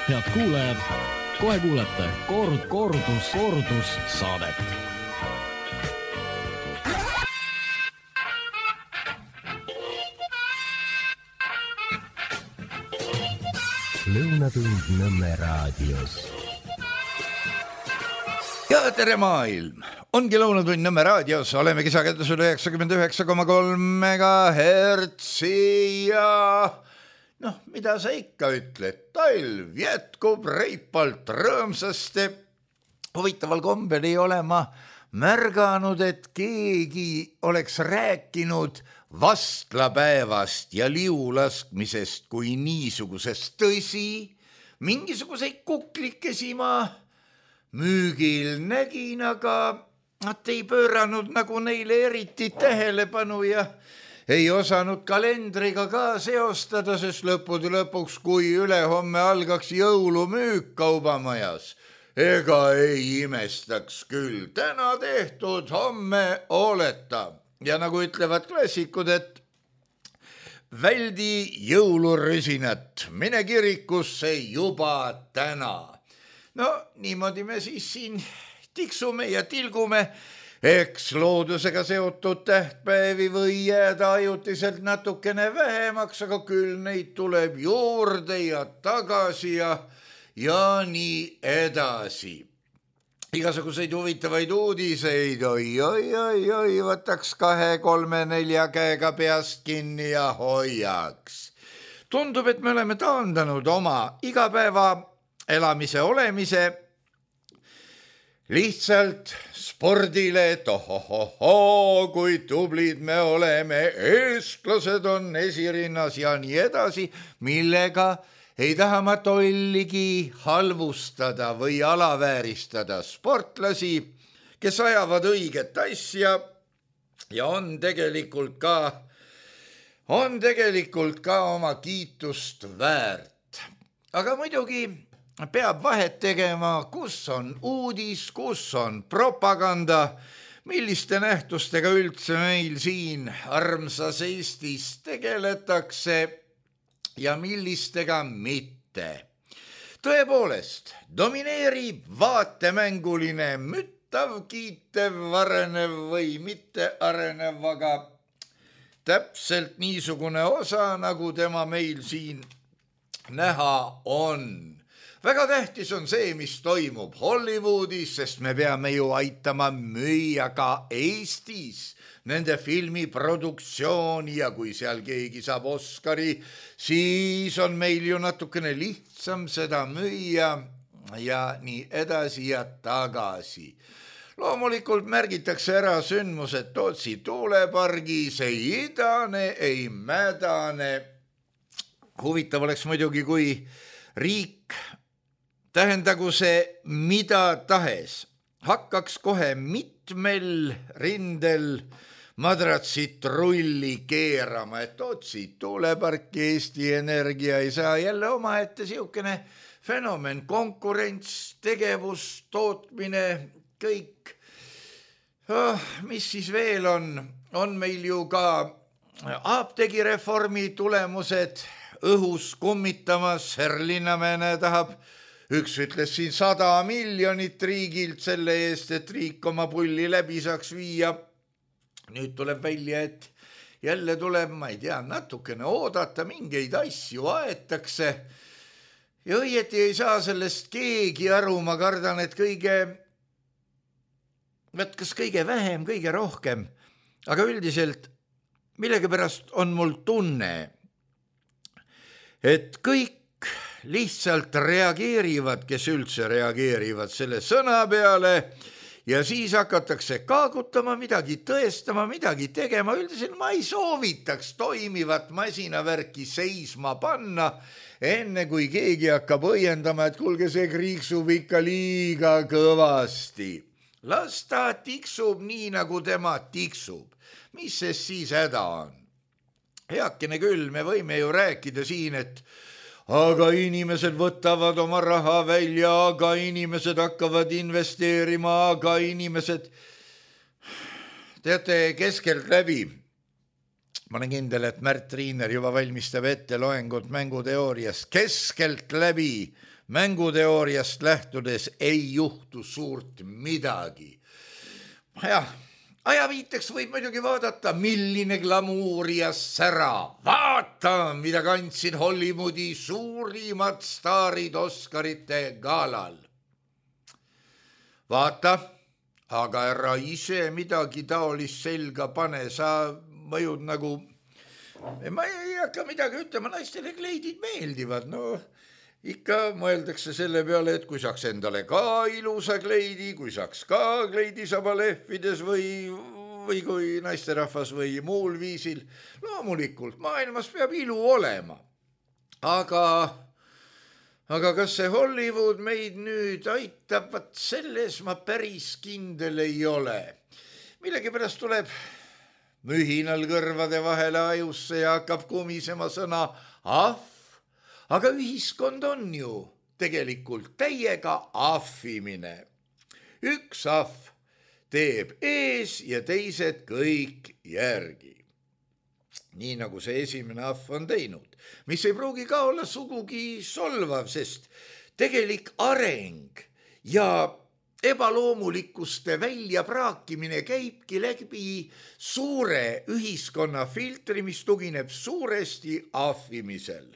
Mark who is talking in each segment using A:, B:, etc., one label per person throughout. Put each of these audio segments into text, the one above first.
A: Head kuulajad, kohe kuulete kordus saadet.
B: Lõunatund Nõmme raadios.
C: Ja tere maailm! Ongi Lõunatund Nõmme raadios, oleme kisakettasel 99,3 MHz ja mida sa ikka ütled, talv jätkub reipalt rõõmsasti. Huvitaval kombel ei ole ma märganud, et keegi oleks rääkinud vastlapäevast ja liulaskmisest kui niisugusest. Tõsi, mingisuguseid kuklikesi ma müügil nägin, aga nad ei pööranud nagu neile eriti tähelepanu ja ei osanud kalendriga ka seostada, sest lõppude lõpuks, kui ülehomme algaks jõulumüük kaubamajas, ega ei imestaks küll. Täna tehtud, homme oleta. Ja nagu ütlevad klassikud, et väldi jõulurüsinat, mine kirikusse juba täna. No niimoodi me siis siin tiksume ja tilgume, eks loodusega seotud tähtpäevi või jääda ajutiselt natukene vähemaks, aga küll neid tuleb juurde ja tagasi ja nii edasi. Igasuguseid huvitavaid uudiseid, oi, võtaks 2, 3, 4 käega peast kinni ja hoiaks. Tundub, et me oleme taandanud oma igapäeva elamise olemise lihtsalt spordile, et ohohoho, kui tublid me oleme, eestlased on esirinnas ja nii edasi, millega ei taha ma tolligi halvustada või alavääristada sportlasi, kes ajavad õiget asja ja on tegelikult ka oma kiitust väärt. Aga muidugi peab vahet tegema, kus on uudis, kus on propaganda, milliste nähtustega üldse meil siin armsas Eestis tegeletakse ja millistega mitte. Tõepoolest, domineerib vaatemänguline, müttav, kiitev, arenev või mitte arenev, aga täpselt niisugune osa, nagu tema meil siin näha on. Väga tähtis on see, mis toimub Hollywoodis, sest me peame ju aitama müüa ka Eestis nende filmiproduktsiooni ja kui seal keegi saab Oscari, siis on meil ju natukene lihtsam seda müüa ja nii edasi ja tagasi. Loomulikult märgitakse ära sündmused Tootsi tuulepargis, ei idane, ei mädane. Huvitav oleks muidugi, kui riik, tähendagu see mida tahes, hakkaks kohe mitmel rindel madratsit rulli keerama, et Tootsi tuuleparki Eesti Energia ei saa jälle omaette siukene fenomen, konkurents, tegevus, tootmine, kõik. Mis siis veel on meil ju ka apteegireformi tulemused õhus kummitamas, Linnamäe tahab, üks ütles siin 100 miljonit riigilt selle eest, et riik oma pulli läbi saaks viia. Nüüd tuleb välja, et jälle tuleb, ma ei tea, natukene oodata, mingeid asju aetakse. Ja õieti ei saa sellest keegi aru, ma kardan, et kas kõige vähem, kõige rohkem. Aga üldiselt millegipärast on mul tunne, et kõik lihtsalt reageerivad, kes üldse reageerivad selle sõna peale ja siis hakatakse kaagutama, midagi tõestama, midagi tegema. Üldiselt ma ei soovitaks toimivat masinavärki seisma panna, enne kui keegi hakkab õiendama, et kuulge, see kriiksub ikka liiga kõvasti. Las ta tiksub nii, nagu tema tiksub. Mis see siis häda on? Heakene küll, me võime ju rääkida siin, et aga inimesed võtavad oma raha välja, aga inimesed hakkavad investeerima, aga inimesed... Teate, keskelt läbi, ma olen kindel, et Märt Riiner juba valmistab ette loengut mänguteoorias, keskelt läbi mänguteooriast lähtudes ei juhtu suurt midagi. Jah, ajaviiteks võib muidugi vaadata, milline glamuur ja sära. Vaata, mida kandsid Hollywoodi suurimad staarid Oscarite galal. Vaata, aga ära ise midagi taolist selga pane, sa mõjud nagu, ma ei hakka midagi ütlema, naistele kleidid meeldivad, no ikka mõeldakse selle peale, et kui saaks endale ka ilusa kleidi, kui saaks ka kleidisaba lehvides või kui naisterahvas või muul viisil. Loomulikult, maailmas peab ilu olema. Aga kas see Hollywood meid nüüd aitab, vaat selles ma päris kindel ei ole. Millegipärast tuleb mühinal kõrvade vahele ajusse ja hakkab kumisema sõna ahv. Aga ühiskond on ju tegelikult täiega ahvimine. Üks ahv teeb ees ja teised kõik järgi. Nii nagu see esimene ahv on teinud, mis ei pruugi ka olla sugugi solvav, sest tegelik areng ja ebaloomulikkuste väljapraakimine käibki läbi suure ühiskonna filtri, mis tugineb suuresti ahvimisel.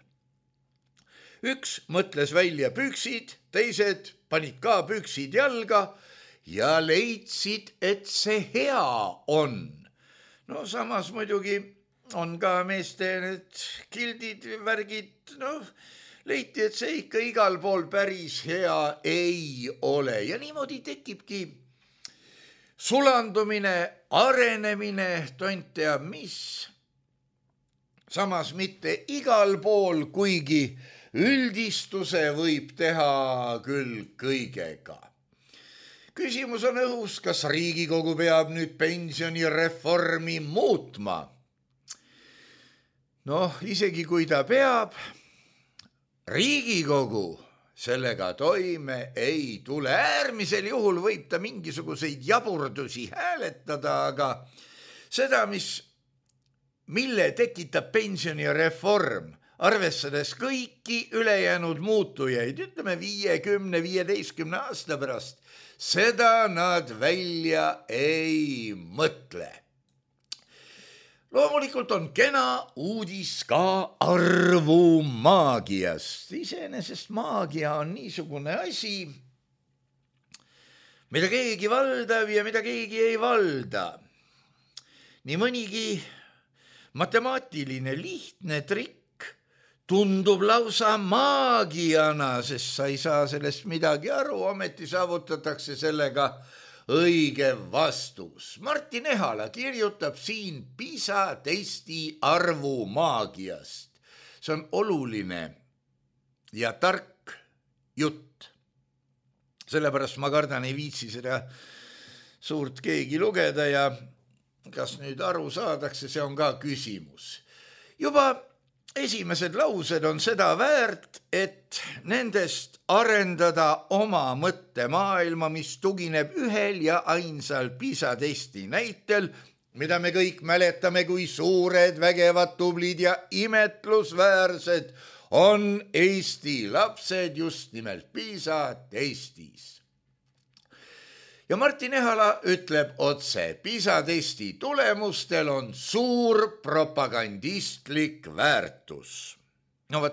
C: Üks mõtles välja püksid, teised panid ka püksid jalga ja leidsid, et see hea on. No samas muidugi on ka meeste need kildid, värgid, leiti, et see ikka igal pool päris hea ei ole. Ja niimoodi tekibki sulandumine, arenemine, tont teab mis. Samas mitte igal pool, kuigi üldistuse võib teha küll kõigega. Küsimus on õhus, kas Riigikogu peab nüüd pensionireformi muutma? Isegi kui ta peab, Riigikogu sellega toime ei tule. Äärmisel juhul võib ta mingisuguseid jaburdusi hääletada, aga seda, mille tekitab pensionireform, arvestades kõiki ülejäänud muutujaid, ütleme 50-15 aasta pärast, seda nad välja ei mõtle. Loomulikult on kena uudis ka arvumaagiast. Iseenesest maagia on niisugune asi, mida keegi valdab ja mida keegi ei valda. Nii mõnigi matemaatiline lihtne trikk tundub lausa maagiana, sest sa ei saa sellest midagi aru, ometi saavutatakse sellega õige vastus. Martin Ehala kirjutab siin PISA testi arvumaagiast. See on oluline ja tark jutt. Sellepärast ma kardan, ei viitsi seda suurt keegi lugeda ja kas nüüd aru saadakse, see on ka küsimus. Juba esimesed laused on seda väärt, et nendest arendada oma mõttemaailma, mis tugineb ühel ja ainsal PISA testi näitel, mida me kõik mäletame, kui suured, vägevad, tublid ja imetlusväärsed on Eesti lapsed just nimelt PISA testis. Ja Martin Ehala ütleb otse, PISA testi tulemustel on suur propagandistlik väärtus.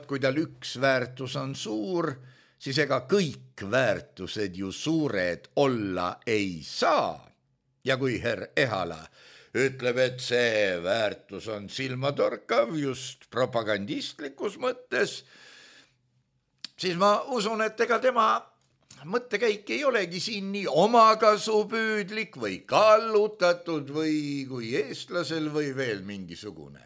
C: Kui tal üks väärtus on suur, siis ega kõik väärtused ju suured olla ei saa. Ja kui herr Ehala ütleb, et see väärtus on silmatorkav just propagandistlikus mõttes, siis ma usun, et ega tema mõttekäik ei olegi siin nii omakasupüüdlik või kallutatud või kui eestlasel või veel mingisugune.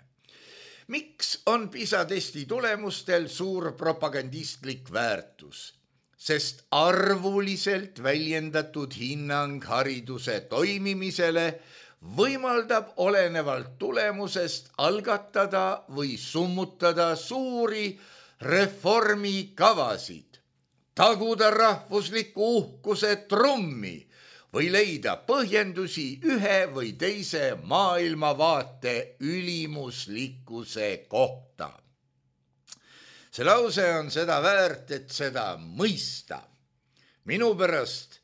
C: Miks on PISA testi tulemustel suur propagandistlik väärtus? Sest arvuliselt väljendatud hinnang hariduse toimimisele võimaldab olenevalt tulemusest algatada või summutada suuri reformikavasid, taguda rahvusliku uhkuse trummi või leida põhjendusi ühe või teise maailmavaate ülimuslikkuse kohta. see lause on seda väärt, et seda mõista. Minu pärast,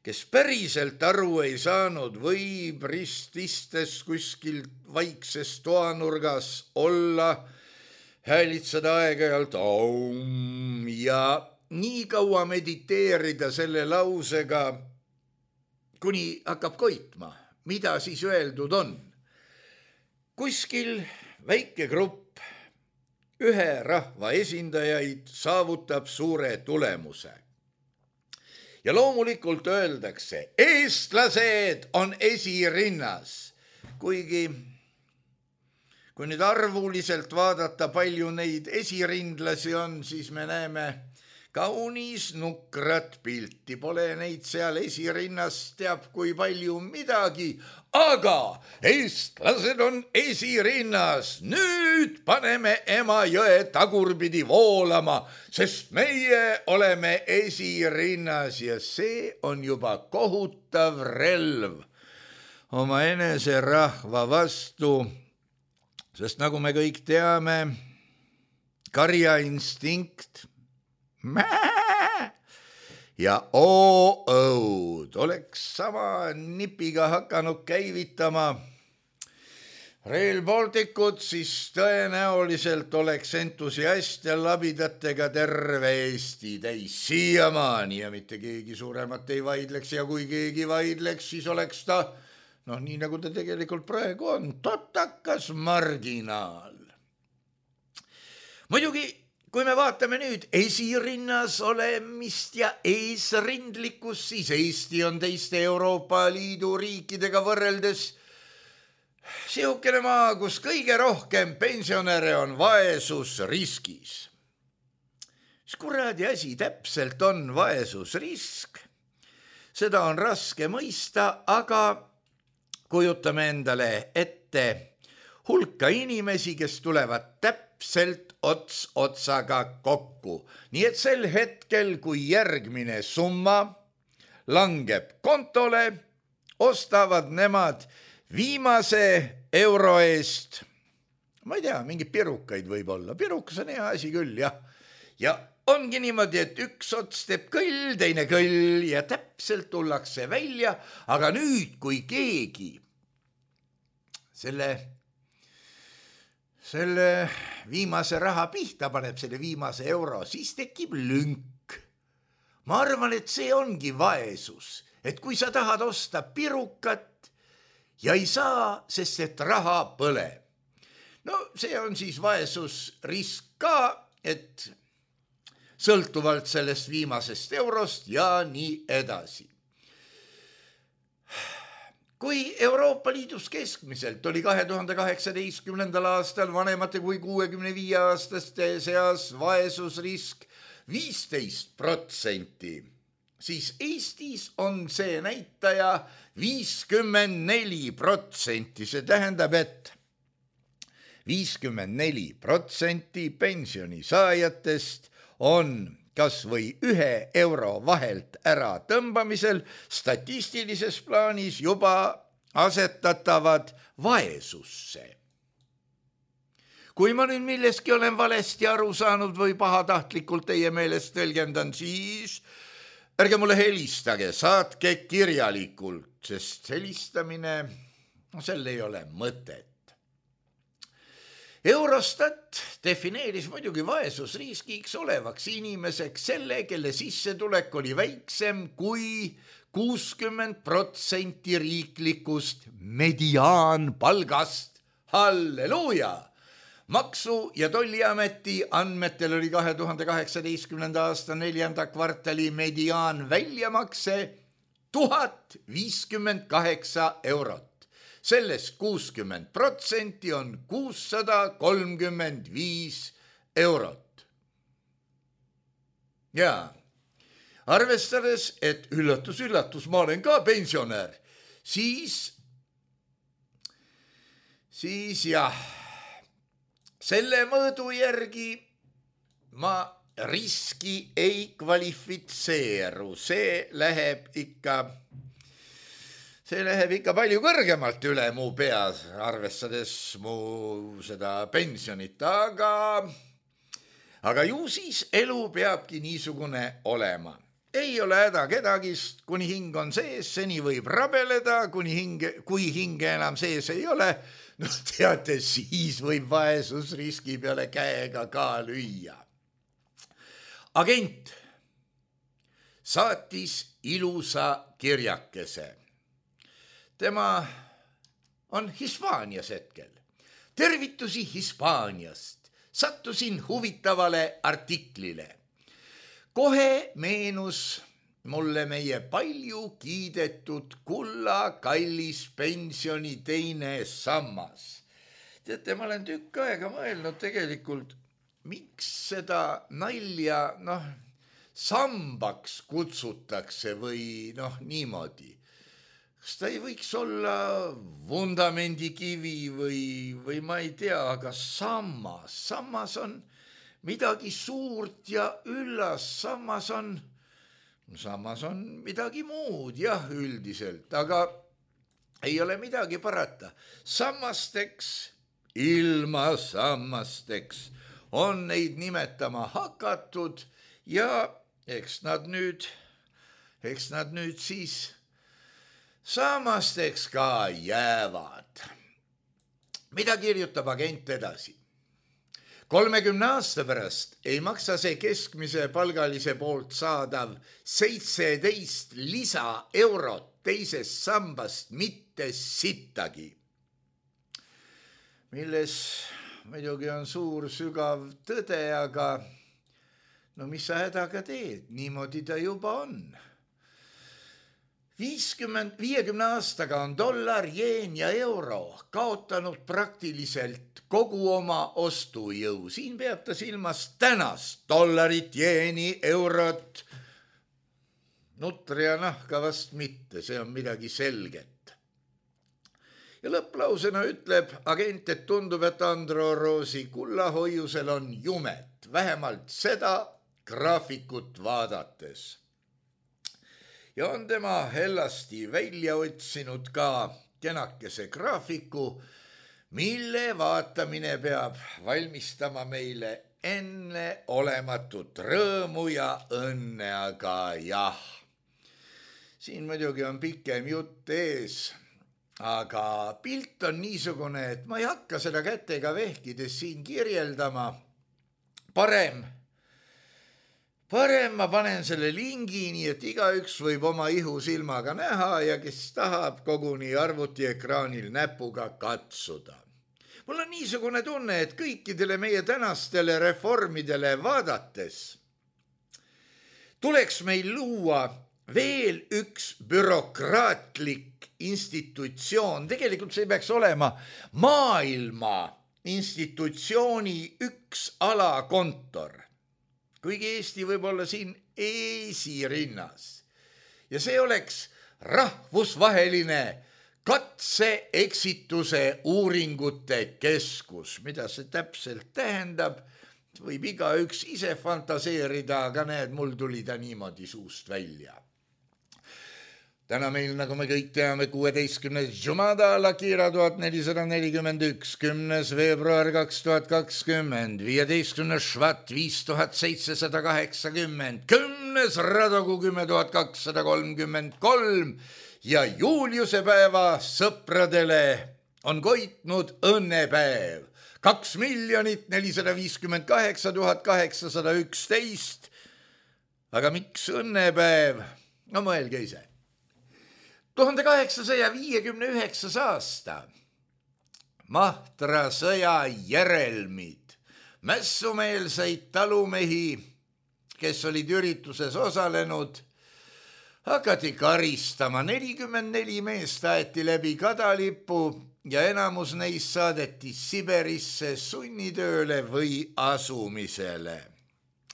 C: kes päriselt aru ei saanud, võib rististes kuskil vaikses toanurgas olla, häälitseda aeg-ajalt aum ja nii kaua mediteerida selle lausega, kuni hakkab koitma, mida siis öeldud on. Kuskil väike grupp ühe rahva esindajaid saavutab suure tulemuse. Ja loomulikult öeldakse, eestlased on esirinnas, kuigi kui nüüd arvuliselt vaadata, palju neid esirindlasi on, siis me näeme kaunis nukrat pilti, pole neid seal esirinnas teab kui palju midagi, aga eestlased on esirinnas. Nüüd paneme Emajõe tagurpidi voolama, sest meie oleme esirinnas ja see on juba kohutav relv oma enese rahva vastu, sest nagu me kõik teame, karjainstinkt ja oo-õud oleks sama nipiga hakanud käivitama Rail Balticut, siis tõenäoliselt oleks entusiast ja labidatega terve Eesti täis siiamaani ja mitte keegi suuremat ei vaidleks ja kui keegi vaidleks, siis oleks ta, nii nagu ta tegelikult praegu on, totakas marginaal. Muidugi, kui me vaatame nüüd esirinnas olemist ja eesrindlikkust, siis Eesti on teiste Euroopa Liidu riikidega võrreldes siukene maa, kus kõige rohkem pensionäre on vaesusriskis. Mis kuradi asi täpselt on vaesusrisk? Seda on raske mõista, aga kujutame endale ette hulka inimesi, kes tulevad täpselt ots otsaga kokku. Nii et sel hetkel, kui järgmine summa langeb kontole, ostavad nemad viimase euro eest, ma ei tea, mingeid pirukaid võib olla. Pirukas on hea asi küll, jah. Ja ongi niimoodi, et üks ots teeb kõll, teine kõll ja täpselt tullakse välja, aga nüüd, kui keegi selle viimase raha pihta paneb, selle viimase euro, siis tekib lünk. Ma arvan, et see ongi vaesus, et kui sa tahad osta pirukat ja ei saa, sest et raha põle. No see on siis vaesusrisk ka, et sõltuvalt sellest viimasest eurost ja nii edasi. Kui Euroopa Liidus keskmiselt oli 2018. aastal vanemate kui 65-aastaste seas vaesusrisk 15%, siis Eestis on see näitaja 54%. See tähendab, et 54% pensionisaajatest on kas või 1 euro vahelt ära tõmbamisel statistilises plaanis juba asetatavad vaesusse. Kui ma nüüd milleski olen valesti aru saanud või pahatahtlikult teie meelest tõlgendan, siis ärge mulle helistage, saatke kirjalikult, sest helistamine, sel ei ole mõtet. Eurostat defineeris muidugi vaesusriskiks olevaks inimeseks selle, kelle sissetulek oli väiksem kui 60% riiklikust mediaanpalgast. Halleluuja! Maksu- ja Tolliameti andmetel oli 2018. aasta 4. kvartali mediaan väljamakse 1058 eurot. Sellest 60% on 635 eurot. Ja arvestades, et üllatus, ma olen ka pensionär, siis jah, selle mõõdu järgi ma riski ei kvalifitseeru, see läheb ikka palju kõrgemalt üle mu peas, arvestades mu seda pensionit, aga ju siis elu peabki niisugune olema. Ei ole häda kedagist, kuni hing on sees, seni võib rabeleda, kui hinge enam sees ei ole, no teate, siis võib vaesusriski peale käega ka lüüa. Agent saatis ilusa kirjakese. Tema on Hispaanias hetkel. Tervitusi Hispaaniast. Sattusin huvitavale artiklile. Kohe meenus mulle meie palju kiidetud kulla kallis pensioni teine sammas. Teate, ma olen tükk aega mõelnud tegelikult, miks seda nalja sambaks kutsutakse või niimoodi. Kas ta ei võiks olla vundamendikivi või ma ei tea, aga sammas on midagi suurt ja üllas, sammas on midagi muud, jah, üldiselt, aga ei ole midagi parata. Sammasteks, ilma sammasteks on neid nimetama hakatud ja eks nad nüüd siis sammasteks ka jäävad. Mida kirjutab agent edasi? 30 aasta pärast ei maksa see keskmise palgalise poolt saadav 17 lisaeurot teisest sambast mitte sittagi. Milles muidugi on suur sügav tõde, aga mis sa hädaga teed, niimoodi ta juba on. 50 aastaga on dollar, jeen ja euro kaotanud praktiliselt kogu oma ostujõu. Siin peab ta silmas tänast dollarit, jeeni, eurot. Nutri ja nahka vast mitte, see on midagi selget. Ja lõpplausena ütleb agent, et tundub, et Andro Roosi kullahoiusel on jumet, vähemalt seda graafikut vaadates. Ja on tema hellasti välja otsinud ka kenakese graafiku, mille vaatamine peab valmistama meile enne olematut rõõmu ja õnne, aga jah. Siin muidugi on pikem jutt ees, aga pilt on niisugune, et ma ei hakka seda kätega vehkides siin kirjeldama. Parem ma panen selle lingi, nii et igaüks võib oma ihusilmaga näha ja kes tahab koguni arvutiekraanil näpuga katsuda. Mul on niisugune tunne, et kõikidele meie tänastele reformidele vaadates tuleks meil luua veel üks bürokraatlik institutsioon. Tegelikult see peaks olema maailma institutsiooni üks alakontor. Kuigi Eesti võib olla siin esirinnas. Ja see oleks rahvusvaheline katse-eksituse uuringute keskus. Mida see täpselt tähendab, võib igaüks ise fantaseerida, aga näed, mul tuli ta niimoodi suust välja. Täna meil, nagu me kõik teame, 16. Jumada Lakira 1441, 10. veebruar 2020, 15. Švat 5780, 10. Radogu 10233 ja Juliuse päeva sõpradele on koitnud õnnepäev 2 458 811. Aga miks õnnepäev? No mõelge ise. 1859 aasta. Mahtra sõja järelmid. Mässumeelseid talumehi, kes olid ürituses osalenud, hakati karistama. 44 meest aeti läbi kadalipu ja enamus neist saadeti Siberisse sunnitööle või asumisele.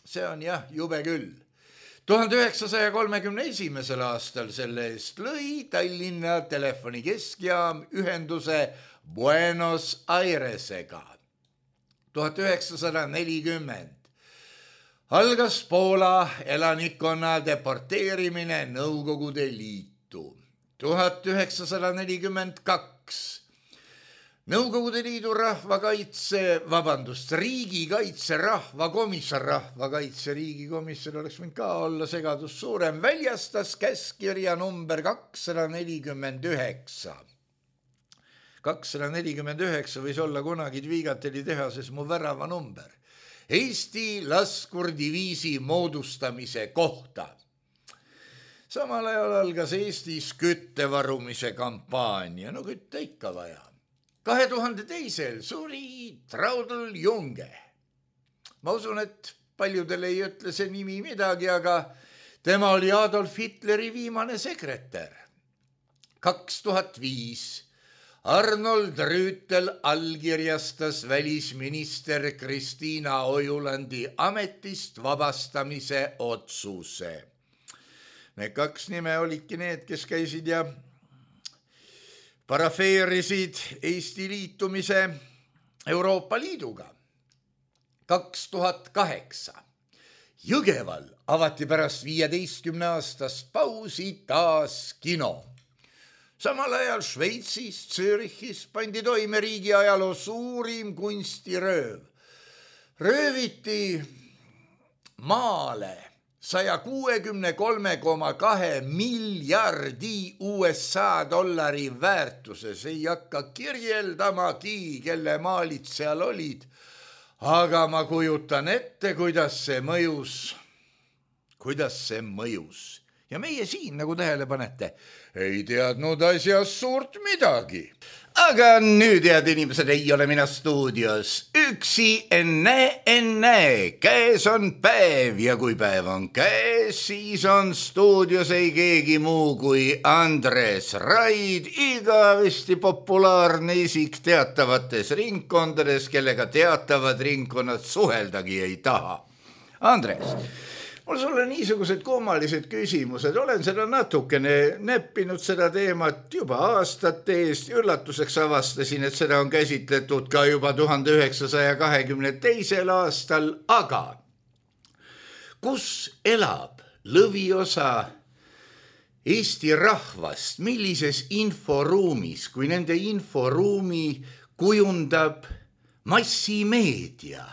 C: See on jah, jube küll. 1931. aastal selle eest lõi Tallinna telefonikeskjaam ühenduse Buenos Airesega. 1940. algas Poola elanikkonna deporteerimine Nõukogude Liitu. 1942. Nõukogude Liidu riigikaitse rahvakaitse riigikomisjon oleks võinud ka olla segadus suurem, väljastas käskkirja number 249. 249 võis olla kunagi Dvigateli tehases mu värava number. Eesti laskurdiviisi moodustamise kohta. Samal ajal algas Eestis küttevarumise kampaania, no kütte ikka vaja. 2002 suri Traudl Junge. Ma usun, et paljudele ei ütle see nimi midagi, aga tema oli Adolf Hitleri viimane sekretär. 2005 Arnold Rüütel allkirjastas välisminister Kristiina Ojulandi ametist vabastamise otsuse. Need kaks nime olidki need, kes käisid ja parafeerisid Eesti liitumise Euroopa Liiduga. 2008 Jõgeval avati pärast 15 aastast pausi taas kino. Samal ajal Šveitsis, Zürichis pandi toime riigi ajaloo suurim kunstirööv. Rööviti maale 163,2 miljardi USA dollari väärtuses. Ei hakka kirjeldamagi, kelle maalid seal olid, aga ma kujutan ette, kuidas see mõjus. Ja meie siin, nagu tähele panete, ei teadnud asjast suurt midagi. Aga nüüd, head inimesed, ei ole mina stuudios. Üksi enne, käes on päev ja kui päev on käes, siis on stuudios ei keegi muu kui Andres Raid, igavesti populaarne isik teatavates ringkondades, kellega teatavad ringkonnad suheldagi ei taha. Andres, mul sulle niisugused kummalised küsimused, olen seda natukene neppinud seda teemat juba aastate eest, üllatuseks avastasin, et seda on käsitletud ka juba 1922. aastal, aga kus elab lõviosa Eesti rahvast, millises inforuumis, kui nende inforuumi kujundab massimeedia?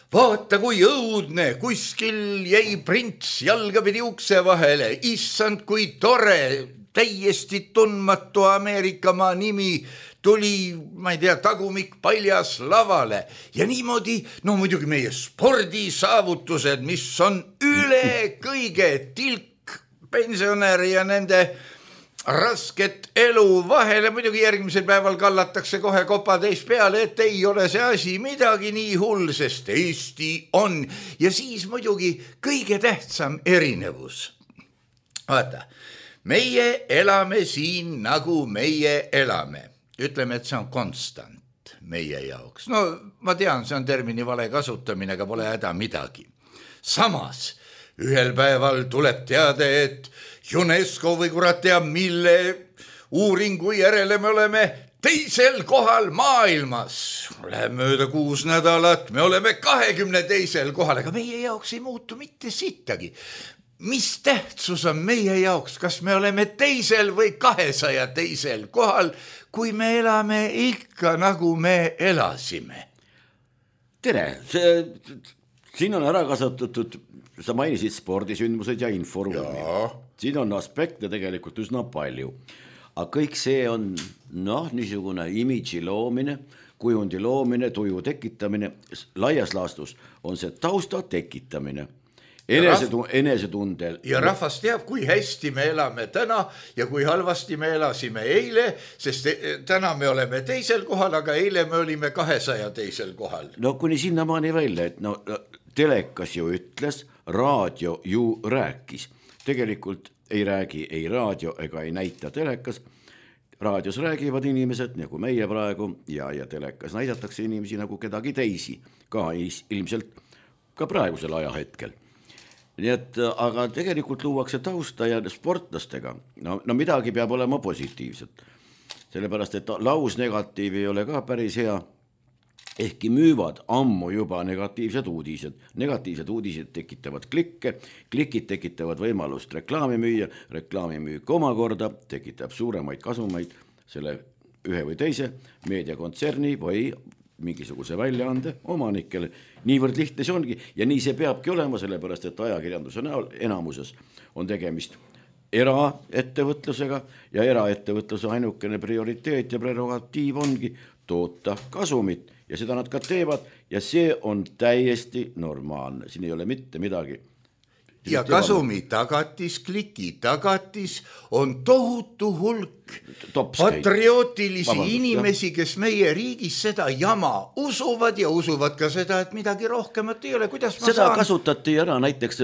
C: Vaata, kui õudne, kuskil jäi prints jalgapidi ukse vahele, issand, kui tore, täiesti tundmatu Ameerikamaa nimi tuli, ma ei tea, tagumik paljas lavale ja niimoodi, no muidugi meie spordisaavutused, mis on üle kõige tilk pensionäri ja nende rasket elu vahele, muidugi järgmisel päeval kallatakse kohe kopatäis peale, et ei ole see asi midagi nii hull, sest Eesti on. Ja siis muidugi kõige tähtsam erinevus. Vaata, meie elame siin nagu meie elame. Ütleme, et see on konstant meie jaoks. No ma tean, see on termini vale kasutamine, aga pole häda midagi. Samas, ühel päeval tuleb teade, et UNESCO või kurat teab, mille uuringu järele me oleme teisel kohal maailmas. Läheb mööda 6 nädalat, me oleme 22. kohal, aga meie jaoks ei muutu mitte sittagi. Mis tähtsus on meie jaoks, kas me oleme teisel või 202. kohal, kui me elame ikka nagu me elasime?
D: Tere, siin on ära kasutatud, sa mainisid spordisündmused ja inforuumi. Siin on aspekte tegelikult üsna palju. Aga kõik see on niisugune imidži loomine, kujundi loomine, tuju tekitamine. Laias laastus on see tausta tekitamine. Enesetundel.
C: Ja rahvas teab, kui hästi me elame täna ja kui halvasti me elasime eile, sest täna me oleme teisel kohal, aga eile me olime 202. kohal.
D: No kuni sinnamaani välja, et telekas ju ütles, raadio ju rääkis. Tegelikult ei räägi ei raadio ega ei näita telekas. Raadios räägivad inimesed nagu meie praegu ja telekas näidatakse inimesi nagu kedagi teisi, ka ilmselt ka praegusel ajahetkel. Nii et, aga tegelikult luuakse tausta ja sportlastega. No midagi peab olema positiivset. Sellepärast, et lausnegatiiv ei ole ka päris hea. Ehkki müüvad ammu juba negatiivsed uudised. Negatiivsed uudised tekitavad klikke, klikid tekitavad võimalust reklaami müüa, reklaami müük omakorda tekitab suuremaid kasumeid selle ühe või teise meediakontserni või mingisuguse väljaande omanikele. Niivõrd lihtne see ongi ja nii see peabki olema, sellepärast et ajakirjanduse näol enamuses on tegemist eraettevõtlusega ja eraettevõtluse ainukene prioriteet ja prerogatiiv ongi toota kasumit ja seda nad ka teevad ja see on täiesti normaalne, siin ei ole mitte midagi.
C: Ja kasumi tagatis, kliki tagatis on tohutu hulk patriootilisi inimesi, kes meie riigis seda jama usuvad ja usuvad ka seda, et midagi rohkemat ei ole. Kuidas ma
D: seda kasutati ära näiteks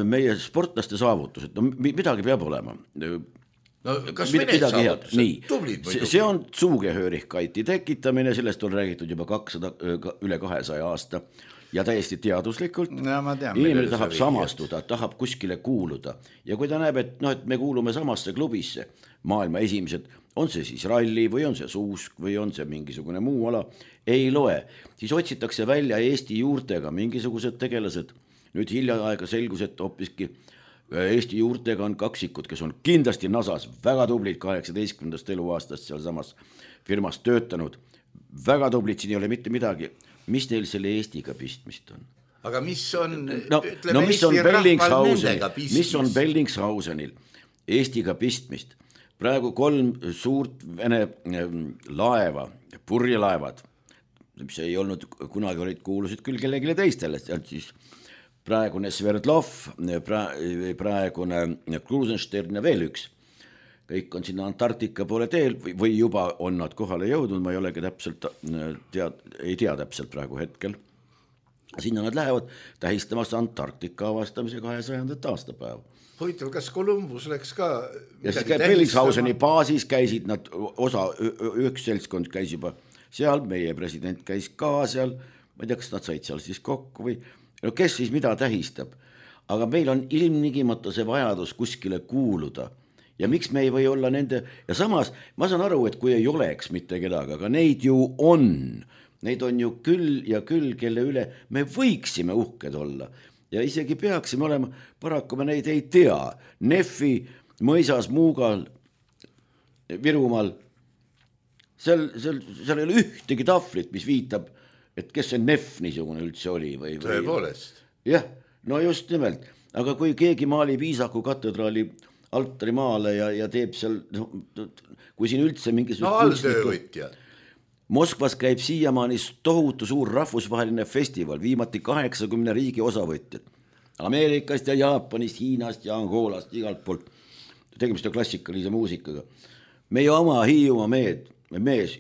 D: meie sportlaste saavutused, no midagi peab olema.
C: No kas Vene saavutused?
D: Nii, see on suugehöörihkaiti tekitamine, sellest on räägitud juba üle 200 aasta. Ja täiesti teaduslikult inimene tahab samastuda, tahab kuskile kuuluda ja kui ta näeb, et me kuulume samasse klubisse, maailma esimesed, on see siis ralli või on see suusk või on see mingisugune muu ala, ei loe, siis otsitakse välja Eesti juurtega mingisugused tegelased. Nüüd hiljaaega selgus, et hoopiski Eesti juurtega on kaksikud, kes on kindlasti NASAs väga tublid 18. eluaastast seal samas firmas töötanud, väga tublid, siin ei ole mitte midagi. Mis teil selle Eestiga pistmist on?
C: Aga mis on,
D: mis on Bellingshausenil Eestiga pistmist? Praegu 3 suurt Vene laeva, purjelaevad, mis ei olnud, kunagi olid kuulusid küll kellegile teistele, siis praegune Sverdlov, praegune Krusenstern ja veel üks. Kõik on sinna Antarktika poole teel või juba on nad kohale jõudnud, ma ei olegi täpselt ei tea täpselt praegu hetkel. Sinna nad lähevad tähistamas Antarktika avastamise 200. aastapäeva.
C: Huvitav, kas Columbus läks ka
D: ja siis Bellingshauseni baasis käisid nad, üks seltskond käis juba seal, meie president käis ka seal, ma ei tea, kas nad said seal siis kokku või no kes siis mida tähistab, aga meil on ilmnigimata see vajadus kuskile kuuluda ja miks me ei või olla nende ja samas ma saan aru, et kui ei oleks mitte kedagi, aga neid ju on ju küll ja küll, kelle üle me võiksime uhked olla ja isegi peaksime olema, paraku me neid ei tea. Neffi mõisas Muugal, Virumaal, seal ei ole ühtegi tahvlit, mis viitab, et kes see Neff niisugune üldse oli.
C: Tõepoolest.
D: Jah, no just nimelt, aga kui keegi maalib Iisaku katedraali altari maale ja teeb seal, kui siin üldse mingisugust
C: alltöövõtja.
D: Moskvas käib siiamaani tohutu suur rahvusvaheline festival, viimati 80 riigi osavõtjad. Ameerikast ja Jaapanist, Hiinast ja Angolast, igalt poolt. Tegemist on klassikalise muusikaga. Meie oma Hiiumaa mees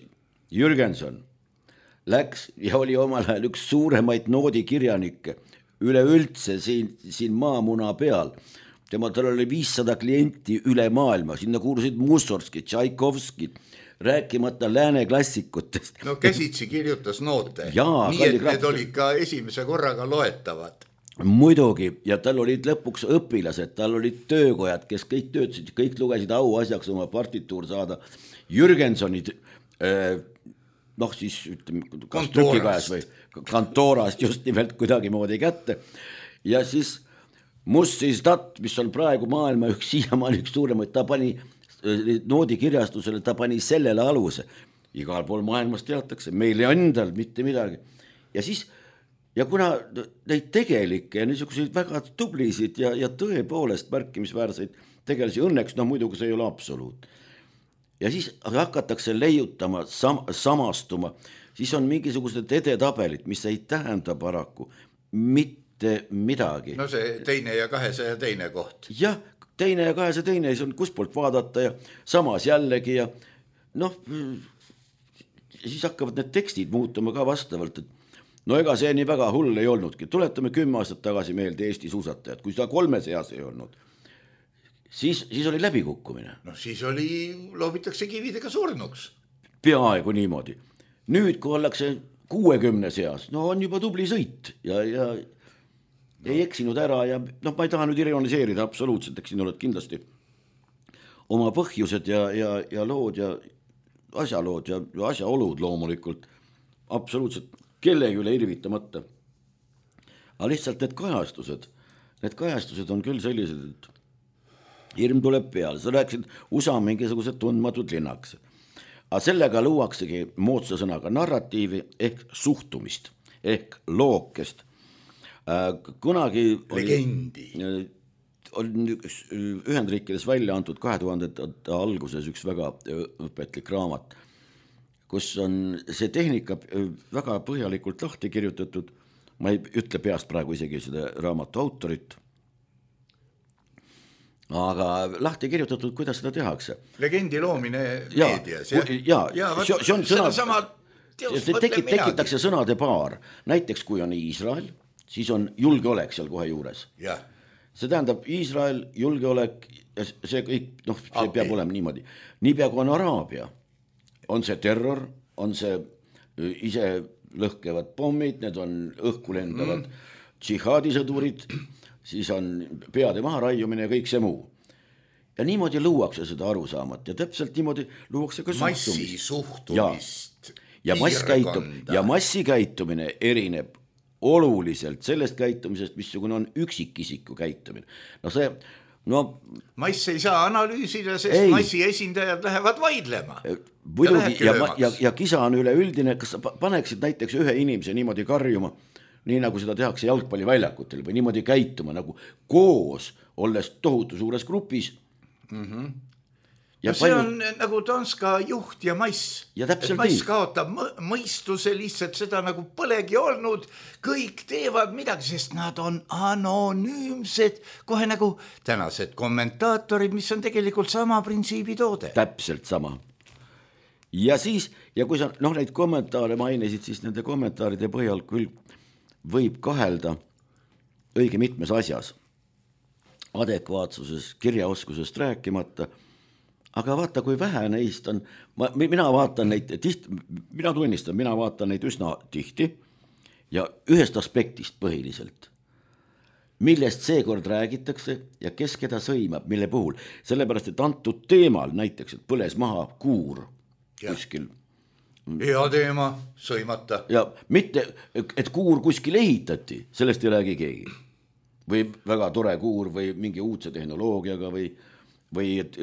D: Jürgenson läks ja oli omal ajal üks suuremaid noodikirjanikke üleüldse siin maamuna peal. Tal oli 500 klienti üle maailma, sinna kuulusid Mussorgski, Tšaikovski, rääkimata lääne klassikutest.
C: No käsitsi kirjutas noote, nii et need olid ka esimese korraga loetavad.
D: Muidugi, ja tal olid lõpuks õpilased, tal olid töökojad, kes kõik töötasid, kõik lugesid auasjaks oma partituur saada. Jürgensonid, siis kas trükikajas või kantoorast just nimelt kuidagi moodi kätte. Ja siis Mussistat, mis on praegu maailma siiamaani üks suuremaid, ta pani noodikirjastusele, ta pani sellele aluse. Igal pool maailmas teatakse, meil ei endal mitte midagi. Ja kuna neid tegelikke ja niisuguseid väga tublisid ja tõepoolest märkimisväärseid tegelasi õnneks, muidugi see ei ole absoluut. Ja siis hakatakse leiutama, samastuma, siis on mingisugused edetabelit, mis ei tähenda paraku mitte midagi.
C: No see 2 ja 202 koht.
D: Jah, 2 ja 202, see on kuspoolt vaadata ja samas jällegi ja siis hakkavad need tekstid muutuma ka vastavalt, et ega see nii väga hull ei olnudki. Tuletame 10 aastat tagasi meelde Eesti suusatajad, kui seda 3 seas ei olnud, siis oli läbikukkumine.
C: Siis loobitakse kividega surnuks.
D: Peaaegu niimoodi. Nüüd, kui ollakse 60 seas, on juba tubli sõit ja ei eksinud ära ja ma ei taha nüüd ironiseerida absoluutselt, eks siin oled kindlasti oma põhjused ja lood ja asjalood ja asjaolud loomulikult absoluutselt kellegi üle irvitamata. Aga lihtsalt need kajastused on küll sellised, et hirm tuleb peale. Sa rääkisid USA mingisugused tundmatud linnaks. aga sellega luuaksegi moodsa sõnaga narratiivi ehk suhtumist ehk lookest. Kunagi
C: legendi
D: on Ühendriikides välja antud 2000 alguses üks väga õpetlik raamat, kus on see tehnika väga põhjalikult lahti kirjutatud. Ma ei ütle peast praegu isegi seda raamatu autorit, aga lahti kirjutatud, kuidas seda tehakse.
C: Legendi loomine meedias.
D: See on sõna, tekitakse sõnade paar. Näiteks kui on Iisrael, siis on julgeolek seal kohe juures.
C: Ja.
D: See tähendab Iisrael, julgeolek ja see kõik, see peab olema niimoodi. Niipea kui on Araabia, on see terror, on see ise lõhkevad pommid, need on õhku lendavad džihaadisõdurid, siis on peade maha raiumine ja kõik see muu. Ja niimoodi luuakse seda arusaamat ja täpselt niimoodi luuakse ka
C: massisuhtumist.
D: Ja massikäitumine erineb oluliselt sellest käitumisest, missugune on üksikisiku käitumine.
C: Mass ei saa analüüsida, sest massi esindajad lähevad vaidlema.
D: Ja kisa on üleüldine, kas sa paneksid näiteks ühe inimese niimoodi karjuma, nii nagu seda tehakse jalgpalliväljakutel või niimoodi käituma nagu koos, olles tohutu suures grupis.
C: Ja see on nagu Danska juht ja mass.
D: Ja täpselt
C: mass kaotab mõistuse lihtsalt seda nagu polegi olnud. Kõik teevad midagi, sest nad on anonüümsed. Kohe nagu tänased kommentaatorid, mis on tegelikult sama printsiibi toode.
D: Täpselt sama. Ja siis, ja kui sa neid kommentaare mainisid, siis nende kommentaaride põhjal küll võib kahelda õige mitmes asjas. Adekvaatsuses, kirjaoskusest rääkimata. Aga vaata, kui vähe neist on, mina vaatan neid mina tunnistan, mina vaatan neid üsna tihti ja ühest aspektist põhiliselt, millest seekord räägitakse ja kes keda sõimab, mille puhul. Sellepärast, et antud teemal näiteks, et põles maha kuur kuskil.
C: Hea teema, sõimata.
D: Ja mitte, et kuur kuskil ehitati, sellest ei räägi keegi. Või väga tore kuur või mingi uudse tehnoloogiaga või et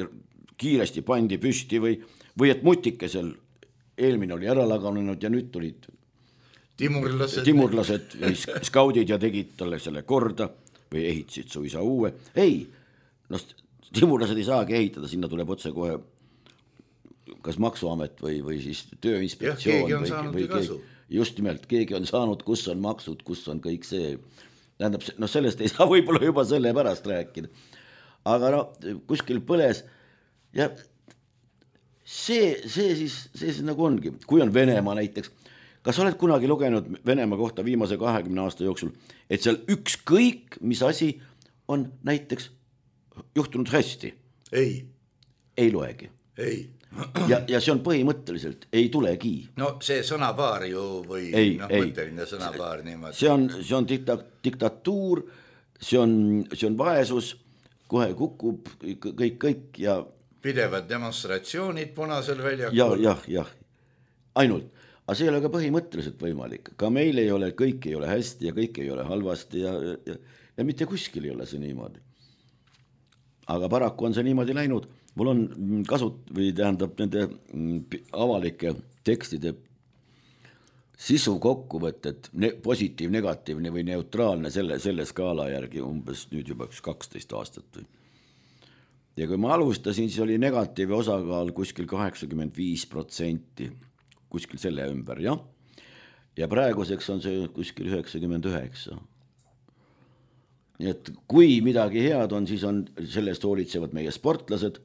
D: kiiresti pandi püsti või et mutikesel eelmine oli ära laganenud ja nüüd tulid timurlased või skaudid ja tegid talle selle korda või ehitasid suisa uue. Ei, timurlased ei saagi ehitada, sinna tuleb otse kohe kas maksuamet või siis tööinspektsioon.
C: Keegi on saanud kasu.
D: Just nimelt, keegi on saanud, kus on maksud, kus on kõik see. Tähendab, sellest ei saa võib-olla juba selle pärast rääkida. Aga kuskil põles. Ja see siis nagu ongi, kui on Venemaa näiteks, kas oled kunagi lugenud Venemaa kohta viimase 20 aasta jooksul, et seal ükskõik, mis asi on näiteks juhtunud hästi? Ei loegi.
C: Ei.
D: Ja see on põhimõtteliselt, ei tulegi.
C: See sõnapaar ju või mõtteline sõnapaar niimoodi.
D: See on diktatuur, see on vaesus, kohe kukub kõik ja
C: pidevad demonstratsioonid punasel väljakul.
D: Jah. Ainult. Aga see ei ole ka põhimõtteliselt võimalik. Ka meil ei ole, kõik ei ole hästi ja kõik ei ole halvasti ja mitte kuskil ei ole see niimoodi. Aga paraku on see niimoodi läinud. Mul on tähendab nende avalike tekstide sisu kokkuvõtted, positiiv, negatiivne või neutraalne selle skaala järgi umbes nüüd juba 12 aastat või. Ja kui ma alustasin, siis oli negatiivi osakaal kuskil 85%, kuskil selle ümber, jah. Ja praeguseks on see kuskil 99%. Nii et kui midagi head on, siis on sellest hoolitsevad meie sportlased.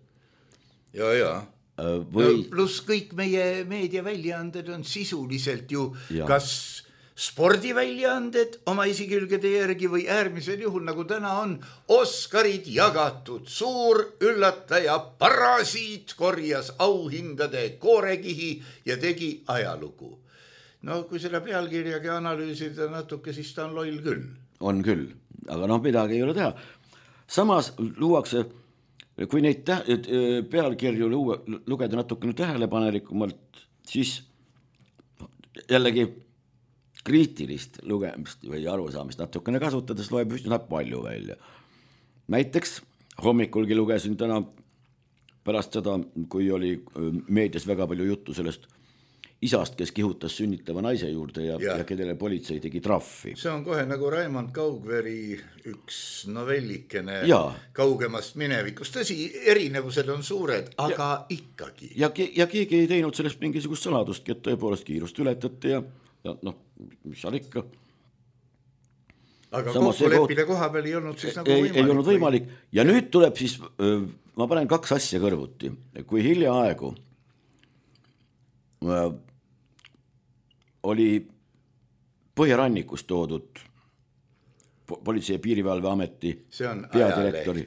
C: Ja. Plus kõik meie meediaväljaanded on sisuliselt ju kas spordiväljaanded oma isikülgede järgi või äärmisel juhul, nagu täna on, Oscarid jagatud. Suur üllataja Parasiit korjas auhindade koorekihi ja tegi ajalugu. Kui selle pealkirjagi analüüsida natuke, siis ta on loll küll.
D: On küll, aga midagi ei ole teha. Samas luuakse, kui neid pealkirju lugeda natukene tähelepanelikumalt, siis jällegi kriitilist lugemist või arusaamist natukene kasutades loeb üsna palju välja. Näiteks hommikulgi lugesin täna pärast seda, kui oli meedias väga palju juttu sellest isast, kes kihutas sünnitava naise juurde ja kellele politsei tegi trahvi.
C: See on kohe nagu Raimond Kaugveri üks novellikene kaugemast minevikust. Tõsi, erinevused on suured, aga ikkagi.
D: Ja keegi ei teinud sellest mingisugust saladustki, et tõepoolest kiirust ületati ja mis seal ikka.
C: Aga kokkuleppide koha peal ei olnud siis nagu võimalik.
D: Ei olnud võimalik. Ja nüüd tuleb siis, ma panen 2 asja kõrvuti. Kui hiljaaegu oli Põhjarannikus toodud Politsei- ja Piirivalveameti peadirektori.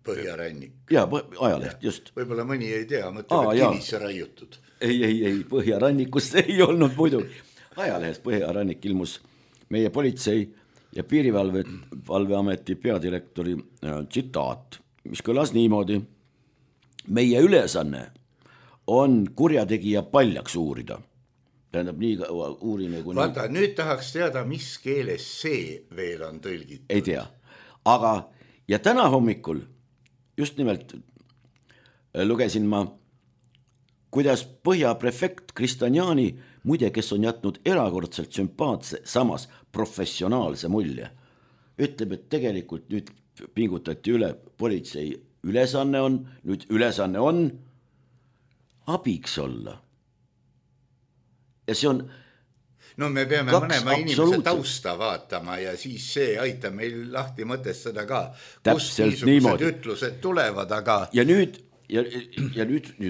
C: Põhjarannik.
D: Jaa, ajaleht, just.
C: Võib-olla mõni ei tea, mõtleb, et kivisse raiutud.
D: Ei, Põhjarannikus ei olnud muidu. Ajalehes Põhjarannik ilmus meie Politsei- ja Piirivalveameti peadirektori tsitaat, mis kõlas niimoodi. Meie ülesanne on kurjategija paljaks uurida. Tähendab, nii uurime kui...
C: Vaata, nüüd tahaks teada, mis keeles see veel on tõlgitud.
D: Ei tea. Aga, ja täna hommikul just nimelt lugesin ma, kuidas Põhja prefekt Kristanjani, muide, kes on jätnud erakordselt sümpaatse, samas professionaalse mulje, ütleb, et tegelikult nüüd pingutati üle, politsei ülesanne on abiks olla. Ja see on
C: no me peame mõnema inimese tausta vaatama ja siis see aitab meil lahti mõtestada ka, kust niisugused ütlused tulevad, aga...
D: Ja nüüd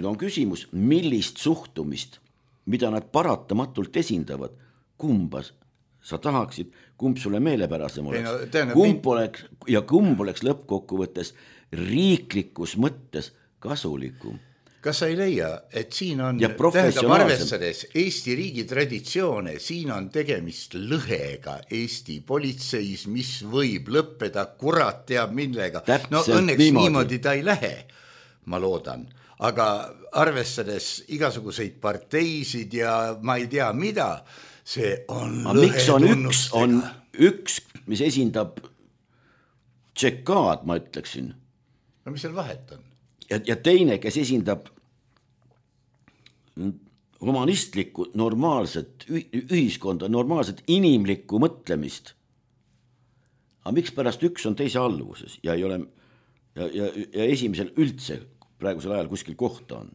D: on küsimus, millist suhtumist, mida nad paratamatult esindavad, kumba sa tahaksid, kumb sulle meelepärasem oleks, kumb oleks lõppkokkuvõttes riiklikus mõttes kasulikum.
C: Kas sa ei leia, et siin on, tähendab arvestades Eesti riigi traditsioone, siin on tegemist lõhega Eesti politseis, mis võib lõppeda kurat teab millega. No õnneks niimoodi ta ei lähe, ma loodan. Aga arvestades igasuguseid parteisid ja ma ei tea mida, see on lõhe tunnustega.
D: On üks, mis esindab tšekaad, ma ütleksin.
C: No mis seal vahet on?
D: Ja teine, kes esindab humanistlikku, normaalset ühiskonda, normaalset inimlikku mõtlemist. Aga miks pärast üks on teise alluvuses ja ei ole ja esimesel üldse praegusel ajal kuskil kohta on?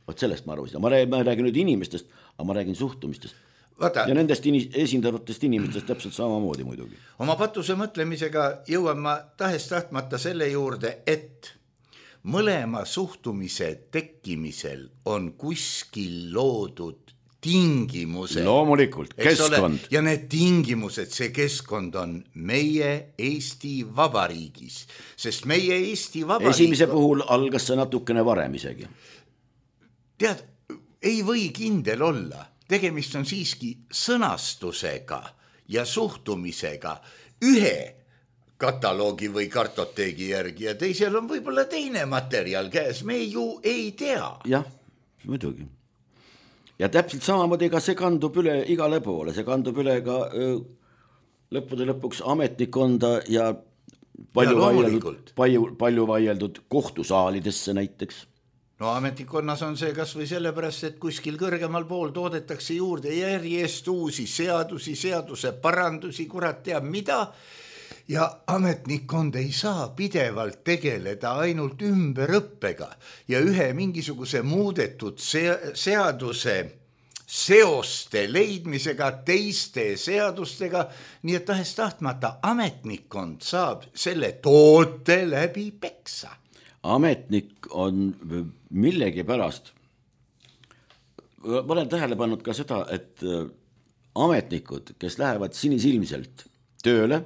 D: Võt sellest ma arvasin. Ma räägin nüüd inimestest, aga ma räägin suhtumistest. Ja nendest esindavatest inimestest täpselt samamoodi muidugi.
C: Oma patuse mõtlemisega jõuan ma tahes tahtmata selle juurde, et mõlema suhtumise tekkimisel on kuskil loodud tingimused.
D: Loomulikult, keskkond.
C: Ja need tingimused, see keskkond on meie Eesti Vabariigis. Sest meie Eesti Vabariig...
D: Esimese puhul algas see natukene varem isegi.
C: Tead, ei või kindel olla. Tegemist on siiski sõnastusega ja suhtumisega ühe kataloogi või kartoteegi järgi ja teisel on võib-olla teine materjal käes, me ju ei tea.
D: Jah, muidugi. Ja täpselt samamoodi ka see kandub üle igale poole, see kandub üle ka lõppude lõpuks ametnikonda ja palju vaieldud kohtusaalidesse näiteks.
C: No ametnikonnas on see kas või sellepärast, et kuskil kõrgemal pool toodetakse juurde järjest uusi seadusi, seaduse parandusi, kurat teab mida. Ja ametnikkond ei saa pidevalt tegeleda ainult ümberõppega ja ühe mingisuguse muudetud seaduse seoste leidmisega teiste seadustega, nii et tahes tahtmata ametnikkond saab selle toote läbi peksa.
D: Ametnik on millegi pärast, ma olen tähele pannud ka seda, et ametnikud, kes lähevad sinisilmselt tööle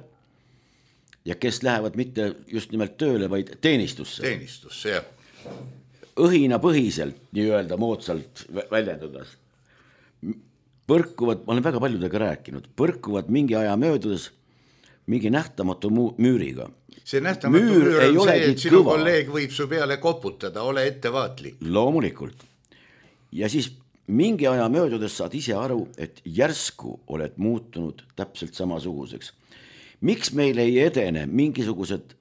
D: ja kes lähevad mitte just nimelt tööle, vaid teenistusse.
C: Teenistusse, jah.
D: Õhinapõhiselt, nii öelda moodsalt väljendades, põrkuvad, ma olen väga paljudega rääkinud, põrkuvad mingi aja möödudes mingi nähtamatu müüriga.
C: See nähtamatu müür on see, et sinu kolleeg võib su peale koputada, ole ettevaatlik.
D: Loomulikult. Ja siis mingi aja möödudes saad ise aru, et järsku oled muutunud täpselt samasuguseks. Miks meil ei edene mingisugused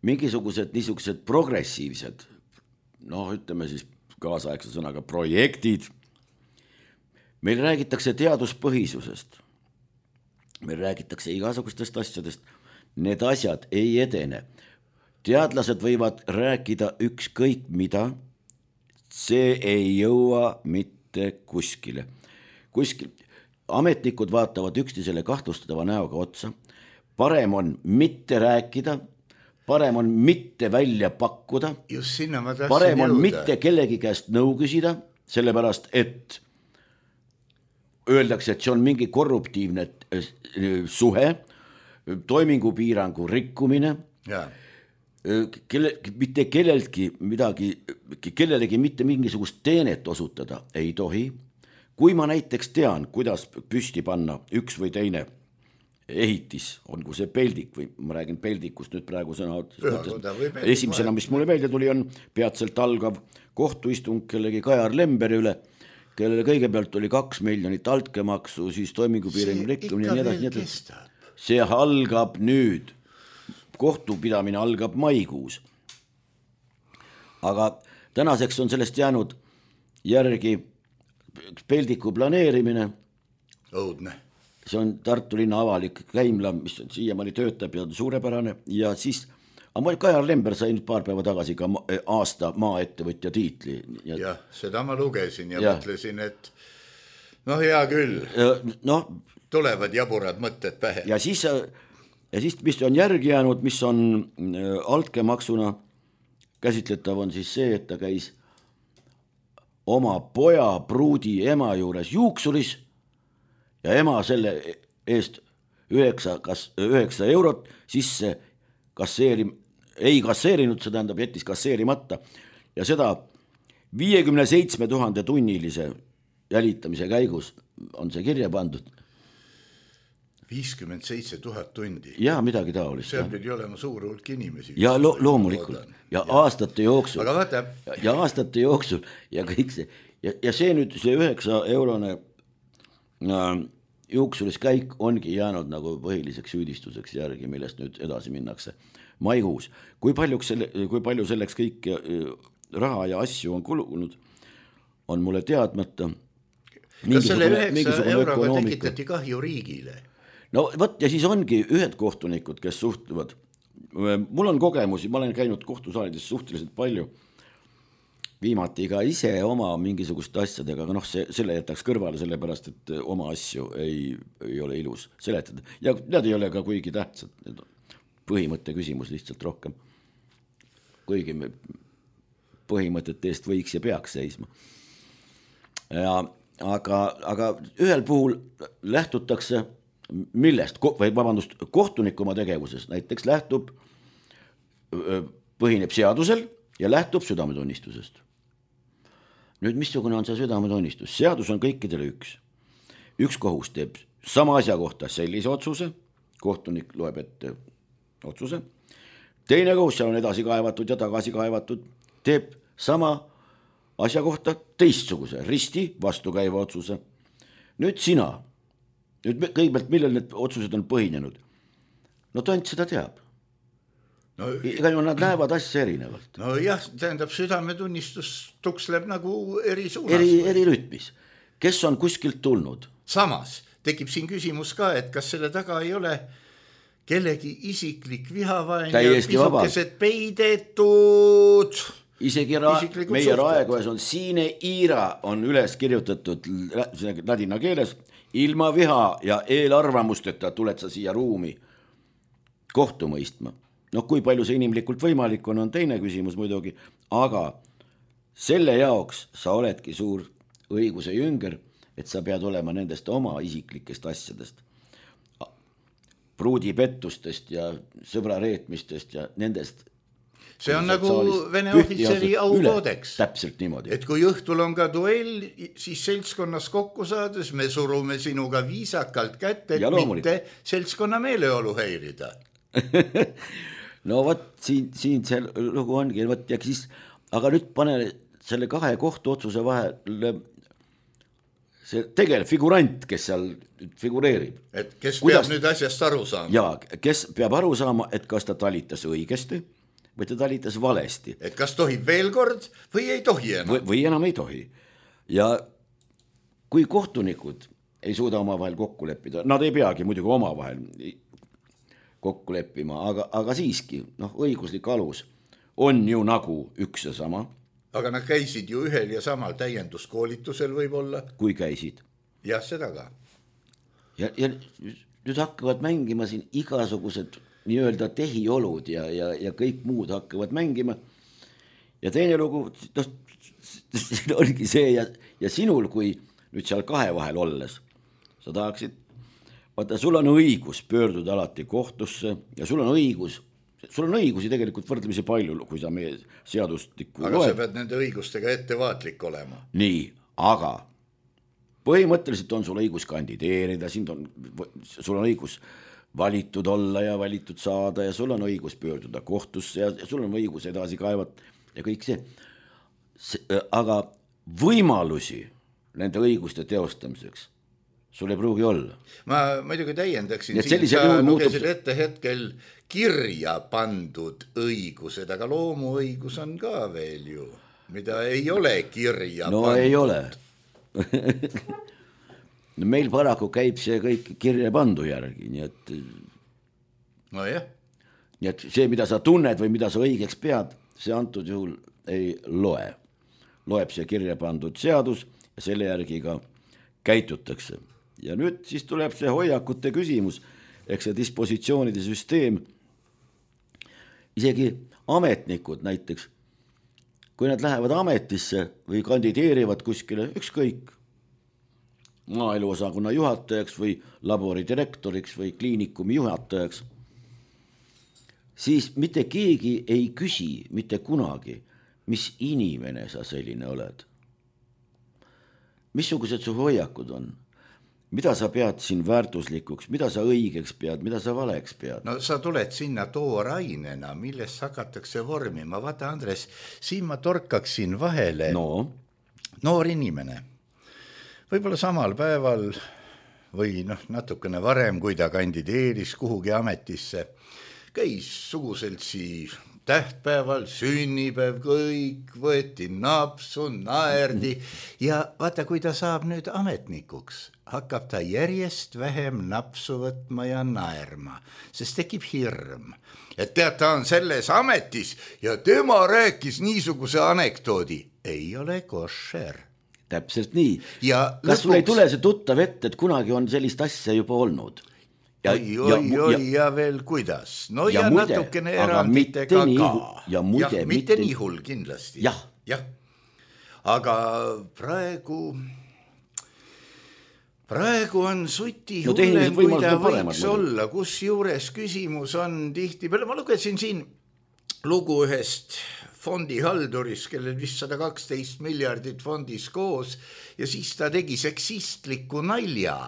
D: niisugused progressiivsed noh, ütleme siis kaasaegse sõnaga projektid. Meil räägitakse teaduspõhisusest, meil räägitakse igasugustest asjadest, need asjad ei edene. Teadlased võivad rääkida ükskõik mida, see ei jõua mitte kuskile. Ametnikud vaatavad üksteisele kahtlustava näoga otsa, parem on mitte rääkida, parem on mitte välja pakkuda, parem on mitte kellegi käest nõu küsida, sellepärast et öeldakse, et see on mingi korruptiivne suhe, toimingupiirangu rikkumine, mitte kellelegi mitte mingisugust teenet osutada ei tohi. Kui ma näiteks tean, kuidas püsti panna üks või teine ehitis, olgu see peldik või ma räägin peldikust nüüd praegu sõna esimesena, mis mulle meelde tuli, on peatselt algav kohtuistung kellegi Kajar Lemberi üle, kellele kõigepealt oli 2 miljonit altkäemaksu, siis toimingupiirangu rikkumine ja nii edasi. See algab nüüd, kohtupidamine algab maikuus. Aga tänaseks on sellest jäänud järgi peldiku planeerimine.
C: Õudne.
D: See on Tartu linna avalik käimla, mis siiamaani töötab ja suurepärane. Ja siis, Kajar Lember sai nüüd paar päeva tagasi ka aasta maaettevõtja tiitli.
C: Jah, seda ma lugesin ja mõtlesin, et noh, hea küll. Tulevad jaburad mõtted pähe. Ja siis, mis on järgi jäänud, mis on altkäemaksuna käsitletav, on siis see, et ta käis oma poja pruudi ema juures juuksuris ja ema selle eest 9 eurot sisse ei kasseerinud, see tähendab jättis kasseerimata ja seda 57 000 tunnilise jälitamise käigus on see kirja pandud. 57 000 tundi.
D: Ja midagi taolist.
C: See pidi olema suur hulk inimesi.
D: Ja loomulikult. Ja aastate jooksul.
C: Aga vaata.
D: Ja aastate jooksul ja kõik see. Ja see nüüd, see 9 eurone juuksuris käik ongi jäänud nagu põhiliseks süüdistuseks järgi, millest nüüd edasi minnakse maikuus. Kui palju selleks kõik raha ja asju on kulunud, on mulle teadmata.
C: Kas selle 9 euroga tekitati kahju riigile?
D: No võt, ja siis ongi ühed kohtunikud, kes suhtuvad. Mul on kogemusi, ma olen käinud kohtusaalides suhteliselt palju. Viimati ka ise oma mingisuguste asjadega, aga selle jätaks kõrvale, sellepärast, et oma asju ei ole ilus seletada. Ja need ei ole ka kuigi tähtsad. Põhimõtte küsimus lihtsalt rohkem. Kuigi põhimõtete eest võiks ja peaks seisma. Aga ühel puhul lähtutakse millest, kohtunik oma tegevuses näiteks põhineb seadusel ja lähtub südametunnistusest. Nüüd, missugune on see südametunnistus? Seadus on kõikidele üks. Üks kohus teeb sama asja kohta sellise otsuse, kohtunik loeb ette otsuse, teine kohus, seal on edasi kaevatud ja tagasi kaevatud, teeb sama asja kohta teistsuguse, risti vastukäiva otsuse. Nüüd sina, kõigepealt, millel need otsused on põhinenud? No tont seda teab. Ega ju nad näevad asja erinevalt.
C: No jah, tähendab, südametunnistus tuksleb nagu eri suunas.
D: Eri rütmis. Kes on kuskilt tulnud?
C: Samas tekib siin küsimus ka, et kas selle taga ei ole kellegi isiklik vihavain ja pisukesed peidetud.
D: Isegi meie raekojas on Siine Iira on üles kirjutatud ladina keeles, ilma viha ja eelarvamusteta tuled sa siia ruumi kohtu mõistma. Kui palju see inimlikult võimalik on teine küsimus muidugi, aga selle jaoks sa oledki suur õiguse jünger, et sa pead olema nendest oma isiklikest asjadest, pruudipettustest ja sõbrareetmistest ja nendest.
C: See on nagu Vene ohvitseri aukoodeks.
D: Täpselt niimoodi.
C: Et kui õhtul on ka duell, siis seltskonnas kokku saades me surume sinuga viisakalt kätte, et mitte seltskonna meeleolu häirida.
D: No võt, siin see lugu ongi, ja siis, aga nüüd pane selle 2 kohtuotsuse vahel see tegelikult figurant, kes seal figureerib.
C: Et kes peab nüüd asjast aru saama?
D: Jaa, kes peab aru saama, et kas ta talitas õigesti, vaid ta talitas valesti.
C: Et kas tohib veel kord või ei tohi enam?
D: Või enam ei tohi. Ja kui kohtunikud ei suuda omavahel kokku leppida, nad ei peagi muidugi omavahel kokku leppima, aga siiski, õiguslik alus on ju nagu üks ja sama.
C: Aga nad käisid ju ühel ja samal täienduskoolitusel võib-olla.
D: Kui käisid.
C: Jah, seda ka.
D: Ja nüüd hakkavad mängima siin igasugused nii-öelda tehiolud ja kõik muud hakkavad mängima. Ja teine lugu, oligi see ja sinul, kui nüüd seal kahe vahel olles, sa tahaksid, vaata, sul on õigus pöörduda alati kohtusse ja sul on õigusi tegelikult võrdlemisi palju, kui sa meie seadustikku
C: loed. Aga sa pead nende õigustega ettevaatlik olema.
D: Nii, aga põhimõtteliselt on sul õigus kandideerida, sul on õigus valitud olla ja valitud saada ja sul on õigus pöörduda kohtusse ja sul on õigus edasi kaevata ja kõik see. Aga võimalusi nende õiguste teostamiseks sul ei pruugi olla.
C: Ma muidugi täiendaksin siin, sa lugesid ette hetkel kirja pandud õigused, aga loomuõigus on ka veel ju, mida ei ole kirja pandud.
D: No ei ole. Meil paraku käib see kõik kirja pandu järgi, nii et
C: nojah.
D: Nii et see, mida sa tunned või mida sa õigeks pead, see antud juhul ei loe. Loeb see kirja pandud seadus ja selle järgi ka käitutakse. Ja nüüd siis tuleb see hoiakute küsimus, ehk see dispositsioonide süsteem. Isegi ametnikud näiteks, kui nad lähevad ametisse või kandideerivad kuskile ükskõik maaeluosakonna juhatajaks või laboridirektoriks või kliinikumi juhatajaks, siis mitte keegi ei küsi mitte kunagi, mis inimene sa selline oled. Missugused su hoiakud on? Mida sa pead siin väärtuslikuks, mida sa õigeks pead, mida sa valeks pead?
C: No sa tuled sinna toorainena, millest hakatakse vormima. Vaata, Andres, siin ma torkaksin vahele. Noor inimene. Võib-olla samal päeval või natukene varem, kui ta kandideeris kuhugi ametisse, käis suguseltsi tähtpäeval, sünnipäev, kõik võeti napsu, naerdi ja vaata, kui ta saab nüüd ametnikuks, hakkab ta järjest vähem napsu võtma ja naerma, sest tekib hirm. Et tead, ta on selles ametis ja tema rääkis niisuguse anekdoodi. Ei ole košer.
D: Täpselt nii. Kas sul ei tule see tuttav ette, et kunagi on sellist asja juba olnud?
C: Ja veel kuidas. No ja natukene eranditega ka.
D: Ja
C: mitte nii hull kindlasti.
D: Jah.
C: Aga praegu on suti hullem, kui ta võiks olla, kus juures küsimus on tihti peale. Ma lugesin siin lugu ühest fondihalduris, kellel vist 112 miljardit fondis koos ja siis ta tegi seksistliku nalja.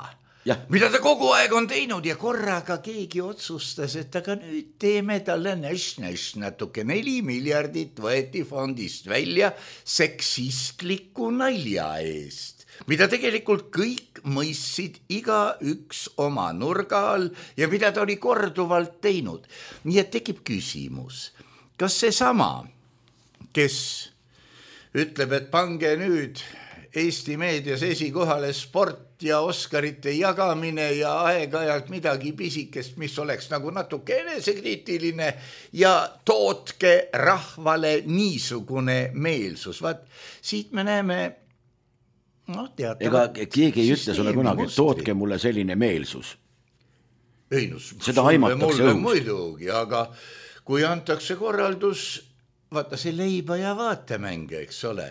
C: Mida ta kogu aeg on teinud ja korraga keegi otsustas, et aga nüüd teeme talle natuke 4 miljardit võeti fondist välja seksistliku nalja eest, mida tegelikult kõik mõistsid iga üks oma nurga all ja mida ta oli korduvalt teinud. Nii et tekib küsimus, kas see sama, kes ütleb, et pange nüüd Eesti meedias esikohale sport ja Oscarite jagamine ja aeg-ajalt midagi pisikest, mis oleks nagu natuke enesekriitiline ja tootke rahvale niisugune meelsus. Vaat, siit me näeme
D: ega keegi ei ütle sulle kunagi, tootke mulle selline meelsus.
C: Ei,
D: seda aimatakse õhust.
C: Muidugi, aga kui antakse korraldus, vaata see leiba ja vaatemänge, eks ole.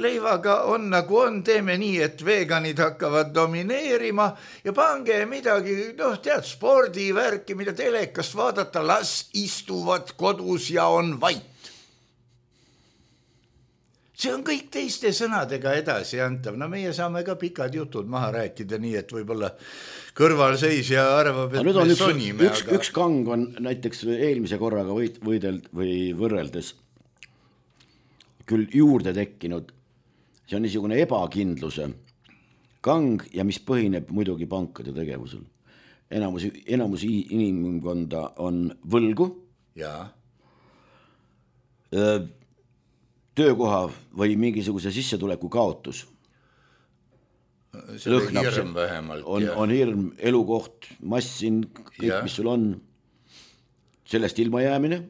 C: Leivaga on nagu on, teeme nii, et veganid hakkavad domineerima ja pange midagi, tead, spordivärki, mida telekast vaadata, las istuvad kodus ja on vait. See on kõik teiste sõnadega edasi antav. Meie saame ka pikad jutud maha rääkida nii, et võib-olla kõrvalseisja arvab, et me sonime.
D: Üks kang on näiteks eelmise korraga võrreldes küll juurde tekkinud. See on niisugune ebakindluse kang ja mis põhineb muidugi pankade tegevusel. Enamus inimkonda on võlgu. töökoha või mingisuguse sissetuleku kaotus.
C: See hirm vähemalt.
D: On hirm, elukoht, massin, kõik, mis sul on. Sellest ilma jäämine,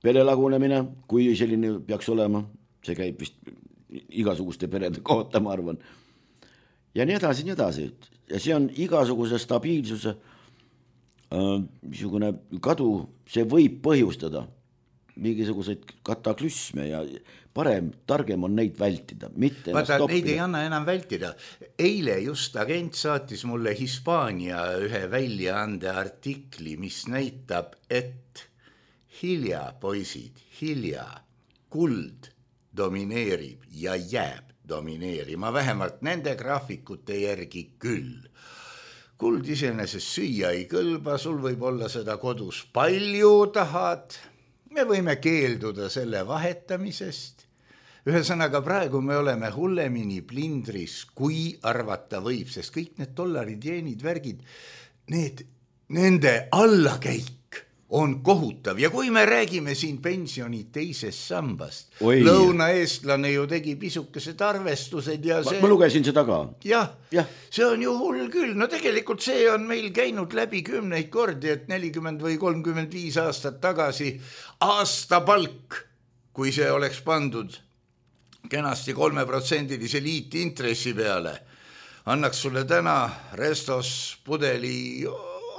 D: pere lagunemine, kui selline peaks olema, see käib vist igasuguste perede kohta, ma arvan. Ja nii edasi, nii edasi. Ja see on igasuguse stabiilsuse niisugune kadu, see võib põhjustada mingisuguseid kataklüsme ja parem, targem on neid vältida, mitte
C: vaata, neid ei anna enam vältida. Eile just agent saatis mulle Hispaania ühe väljaande artikli, mis näitab, et hilja, poisid, hilja, kuld domineerib ja jääb domineerima, vähemalt nende graafikute järgi küll. Kuld iseenesest süüa ei kõlba, sul võib olla seda kodus palju tahad, me võime keelduda selle vahetamisest. Ühesõnaga praegu me oleme hullemini plindris, kui arvata võib, sest kõik need dollarid, jeenid, värgid, nende allakäik on kohutav. Ja kui me räägime siin pensioni teisest sambast, lõunaeestlane ju tegi pisukesed arvestused ja see...
D: Ma lugesin seda ka.
C: Jah, see on ju hull küll. No tegelikult see on meil käinud läbi 10 kordi, et 40 või 35 aastat tagasi aastapalk, kui see oleks pandud kenasti 3%-lise liitintressi peale, annaks sulle täna restos pudeli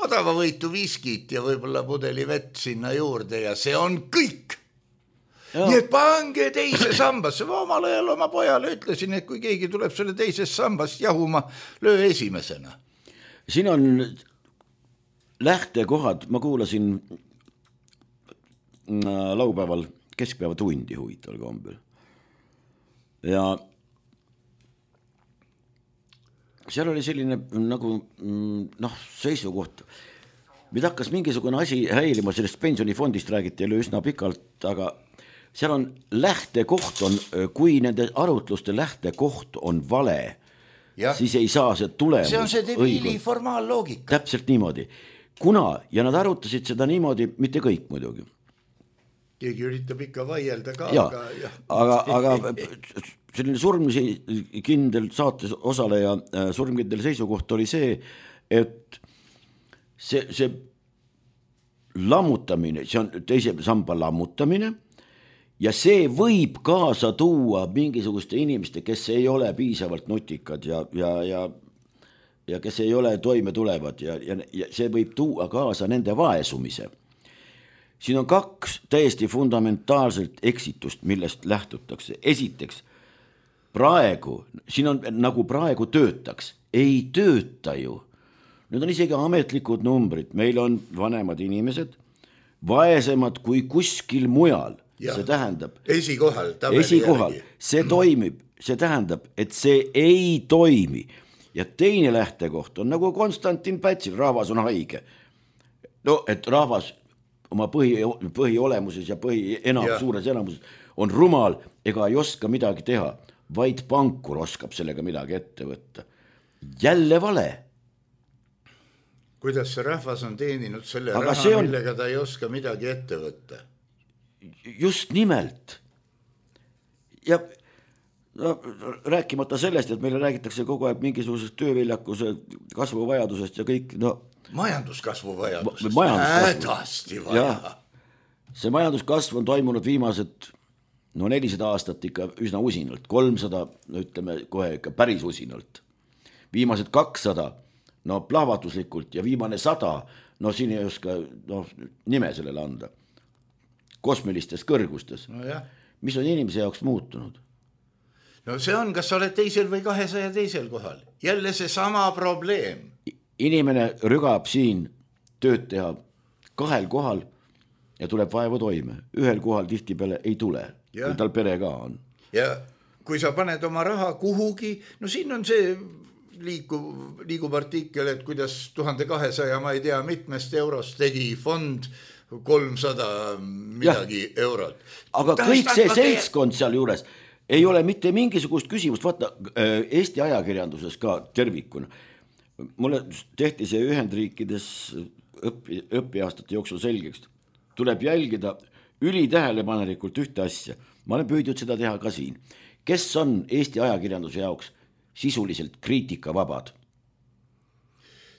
C: odavavõitu viskit ja võib-olla pudeli vett sinna juurde ja see on kõik. Nii et pange teise sambasse. Ma omal ajal oma pojale ütlesin, et kui keegi tuleb selle teisest sambast jahuma, löö esimesena.
D: Siin on lähtekohad, ma kuulasin laupäeval keskpäeva tundi huvitaval kombel. Ja seal oli selline nagu seisukoht. Mida hakkas mingisugune asi häilima, sellest pensionifondist räägiti üsna pikalt, aga seal on lähtekoht on, kui nende arutluste lähtekoht on vale, siis ei saa see tulemus.
C: See on see debiili formaalloogika.
D: Täpselt niimoodi. Ja nad arutasid seda niimoodi, mitte kõik muidugi.
C: Keegi üritab ikka vaielda ka.
D: Aga selline surmisi kindel saates osaleja surmkindel seisukoht oli see, et see lammutamine, see on teise samba lammutamine ja see võib kaasa tuua mingisuguste inimeste, kes ei ole piisavalt nutikad ja kes ei ole toime tulevad ja see võib tuua kaasa nende vaesumise. Siin on 2 täiesti fundamentaalselt eksitust, millest lähtutakse. Esiteks, praegu, siin on nagu praegu töötaks, ei tööta ju. Nüüd on isegi ametlikud numbrid, meil on vanemad inimesed, vaesemad kui kuskil mujal.
C: Ja,
D: see tähendab
C: esikohal,
D: see toimib, see tähendab, et see ei toimi. Ja teine lähtekoht on nagu Konstantin Pätsil, rahvas on haige. No, et rahvas oma põhiolemuses ja suures enamuses on rumal ega ei oska midagi teha, vaid pankur oskab sellega midagi ette võtta. Jälle vale.
C: Kuidas see rahvas on teeninud selle raha, millega ta ei oska midagi ette võtta?
D: Just nimelt. Ja rääkimata sellest, et meile räägitakse kogu aeg mingisugusest tööviljakuse kasvuvajadusest ja kõik,
C: majanduskasvu vajadusest.
D: Hädasti vaja. See majanduskasv on toimunud viimased 400 aastat ikka üsna usinalt, 300, ütleme kohe ikka päris usinalt. Viimased 200, plahvatuslikult ja viimane 100, siin ei oska nime sellele anda. Kosmilistes kõrgustes. Mis on inimese jaoks muutunud?
C: No see on, kas sa oled teisel või 202 kohal. Jälle see sama probleem.
D: Inimene rügab siin tööd teha 2 kohal ja tuleb vaevu toime. 1 kohal tihtipeale ei tule, kui tal pere ka on.
C: Ja kui sa paned oma raha kuhugi, siin on see liigub artikkel, et kuidas 1200, ma ei tea, mitmest eurost tegi fond 300 midagi eurot.
D: Aga kõik see seltskond seal juures ei ole mitte mingisugust küsimust, vaata Eesti ajakirjanduses ka tervikuna. Mulle tehti see Ühendriikides õpiaastate jooksul selgeks. Tuleb jälgida ülitähelepanelikult ühte asja. Ma olen püüdnud seda teha ka siin. Kes on Eesti ajakirjanduse jaoks sisuliselt kriitikavabad?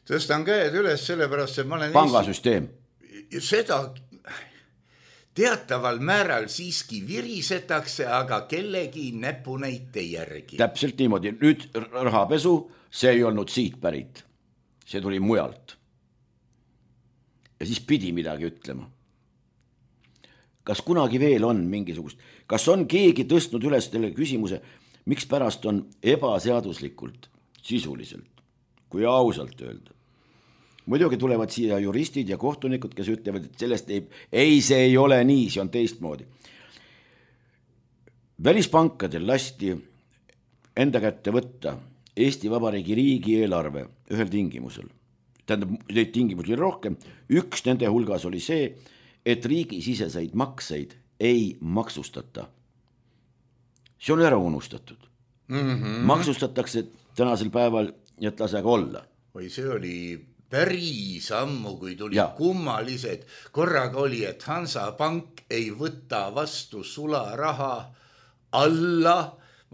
C: Tõstan käed üles sellepärast, et ma olen
D: pangasüsteem.
C: Seda teataval määral siiski virisetakse, aga kellegi näpunäite järgi.
D: Täpselt niimoodi. Nüüd rahapesu, see ei olnud siit pärit. See tuli mujalt. Ja siis pidi midagi ütlema. Kas kunagi veel on mingisugust, kas on keegi tõstnud üles selle küsimuse, miks pärast on ebaseaduslikult, sisuliselt, kui ausalt öelda. Muidugi tulevad siia juristid ja kohtunikud, kes ütlevad, et sellest ei, see ei ole nii, see on teistmoodi. Välispankadel lasti enda kätte võtta Eesti Vabariigi riigieelarve ühel tingimusel. Tähendab, neid tingimusi oli rohkem. Üks nende hulgas oli see, et riigisiseseid makseid ei maksustata. See on ära unustatud. Maksustatakse tänasel päeval, et lasega olla.
C: Või see oli päris ammu, kui tuli kummalised. Korraga oli, et Hansapank ei võta vastu sularaha alla,